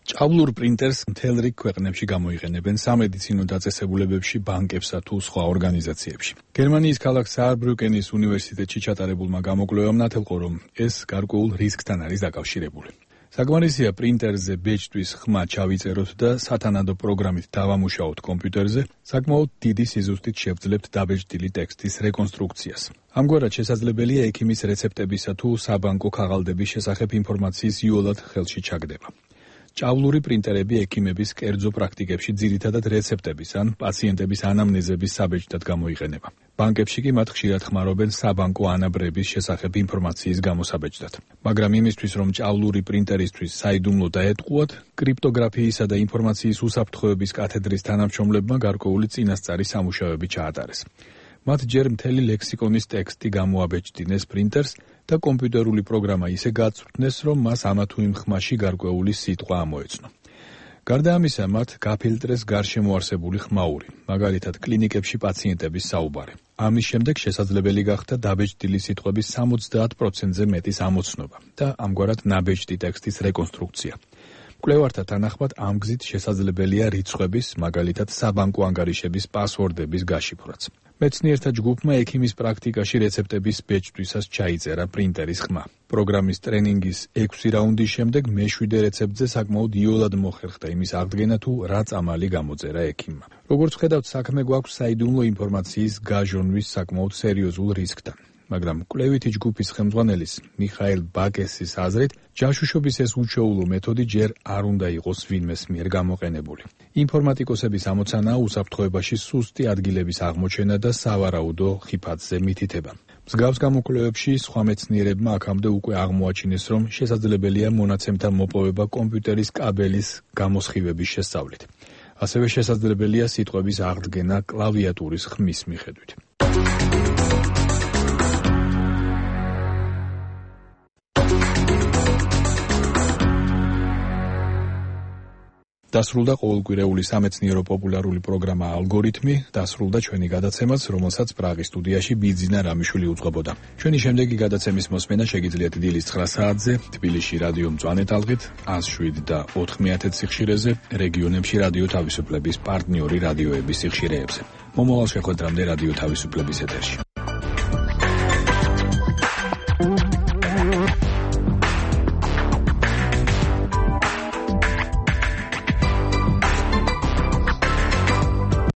ჭავლურ პრინტერს მთელ რიგ ქვეყნებში გამოიყენებენ სამედიცინო დაწესებულებებში, ბანკებსა თუ სხვა ორგანიზაციებში. გერმანიის ქალაქ საარბრუკენის უნივერსიტეტში ჩატარებულმა გამოკვლევამ ნათელყო, რომ ეს გარკვეულ რისკთან არის დაკავშირებული. საკმარისია პრინტერზე ბეჭდვის ხმა ჩავიწეროთ და სათანადო პროგრამით დავამუშაოთ კომპიუტერზე, საკმაოდ დიდი სიზუსტით შევძლებთ დაბეჭდილი ტექსტის რეკონსტრუქციას. ამგვარად შესაძლებელია ექიმის რეცეპტებისა თუ საბანკო ქაღალდების შესახებ ინფორმაციის იოლად ხელში ჩაგდება. ჭავლური პრინტერები ექიმების კერძო პრაქტიკებში ძირითადად რეცეპტების ან პაციენტების ანამნეზების საბეჭდად გამოიყენება. ბანკებში კი მათ ხშირად ხმარობენ საბანკო ანაბრების შესახებ ინფორმაციის გამოსაბეჭდად. მაგრამ იმისთვის, რომ ჭავლური პრინტერისთვის საიდუმლო დაეტყუათ, კრიპტოგრაფიისა და ინფორმაციის უსაფრთხოების კათედრის თანამშრომლებმა გარკვეული წინასწარი სამუშაოები ჩაატარეს. მათ ჯერ მთელი ლექსიკონის ტექსტი გამოაბეჭდინეს პრინტერს და კომპიუტერული პროგრამა ისე გაწვრთნეს, რომ მას ამა თუ იმ ხმაში გარკვეული სიტყვა ამოეცნო. გარდა ამისა, მათ გაფილტრეს გარშემო არსებული ხმაური, მაგალითად კლინიკებში პაციენტების საუბარი. ამის შემდეგ შესაძლებელი გახდა დაბეჭდილი სიტყვების სამოცდაათ პროცენტზე მეტის ამოცნობა და ამგვარად ნაბეჭდი ტექსტის რეკონსტრუქცია. მკვლევართა თანახმად ამ გზით შესაძლებელია რიცხვების, მაგალითად საბანკო ანგარიშების პასვორდების გაშიფვრაც. მეცნიერთა ჯგუფმა ექიმის პრაქტიკაში რეცეპტების ბეჭდვისას ჩაიწერა პრინტერის ხმა. პროგრამის ტრენინგის ექვსი რაუნდის შემდეგ მეშვიდე რეცეპტზე საკმაოდ იოლად მოხერხდა იმის აღდგენა თუ რა წამალი გამოწერა ექიმმა. როგორც ხედავთ, საქმე გვაქვს საიდუმლო ინფორმაციის გაჟონვის საკმაოდ სერიოზულ რისკთან. მაგრამ კვლევითი ჯგუფის ხელმძღვანელის მიხაილ ბაკესის აზრით, ჯაშუშობის ეს უჩვეულო მეთოდი ჯერ არ უნდა იყოს ვინმეს მიერ გამოყენებული. ინფორმატიკოსების ამოცანაა უსაფრთხოებაში სუსტი ადგილების აღმოჩენა და სავარაუდო ხიფათზე მითითება. მსგავს გამოკვლევებში სხვა მეცნიერებმა აქამდე უკვე აღმოაჩინეს, რომ შესაძლებელია მონაცემთან მოპოვება კომპიუტერის კაბელის გამოსხივების შესწავლით. ასევე შესაძლებელია სიტყვების აღდგენა კლავიატურის ხმის მიხედვით. დასრულდა ყოველკვირეული სამეცნიერო პოპულარული პროგრამა ალგორითმი, დასრულდა ჩვენი გადაცემაც, რომელსაც პრაღის სტუდიაში ბიძინა რამიშვილი უძღვებოდა. ჩვენი შემდეგი გადაცემის მოსმენა შეგიძლიათ დილის ცხრა საათზე, თბილისში რადიო მწვანე ტალღით, ას შვიდ და ოთხ მეათე სიხშირეზე, რეგიონებში რადიო თავისუფლების პარტნიორი რადიოების სიხშირეებზე. მომავალ შეხვედრამდე რადიო თავისუფლების ეთერში.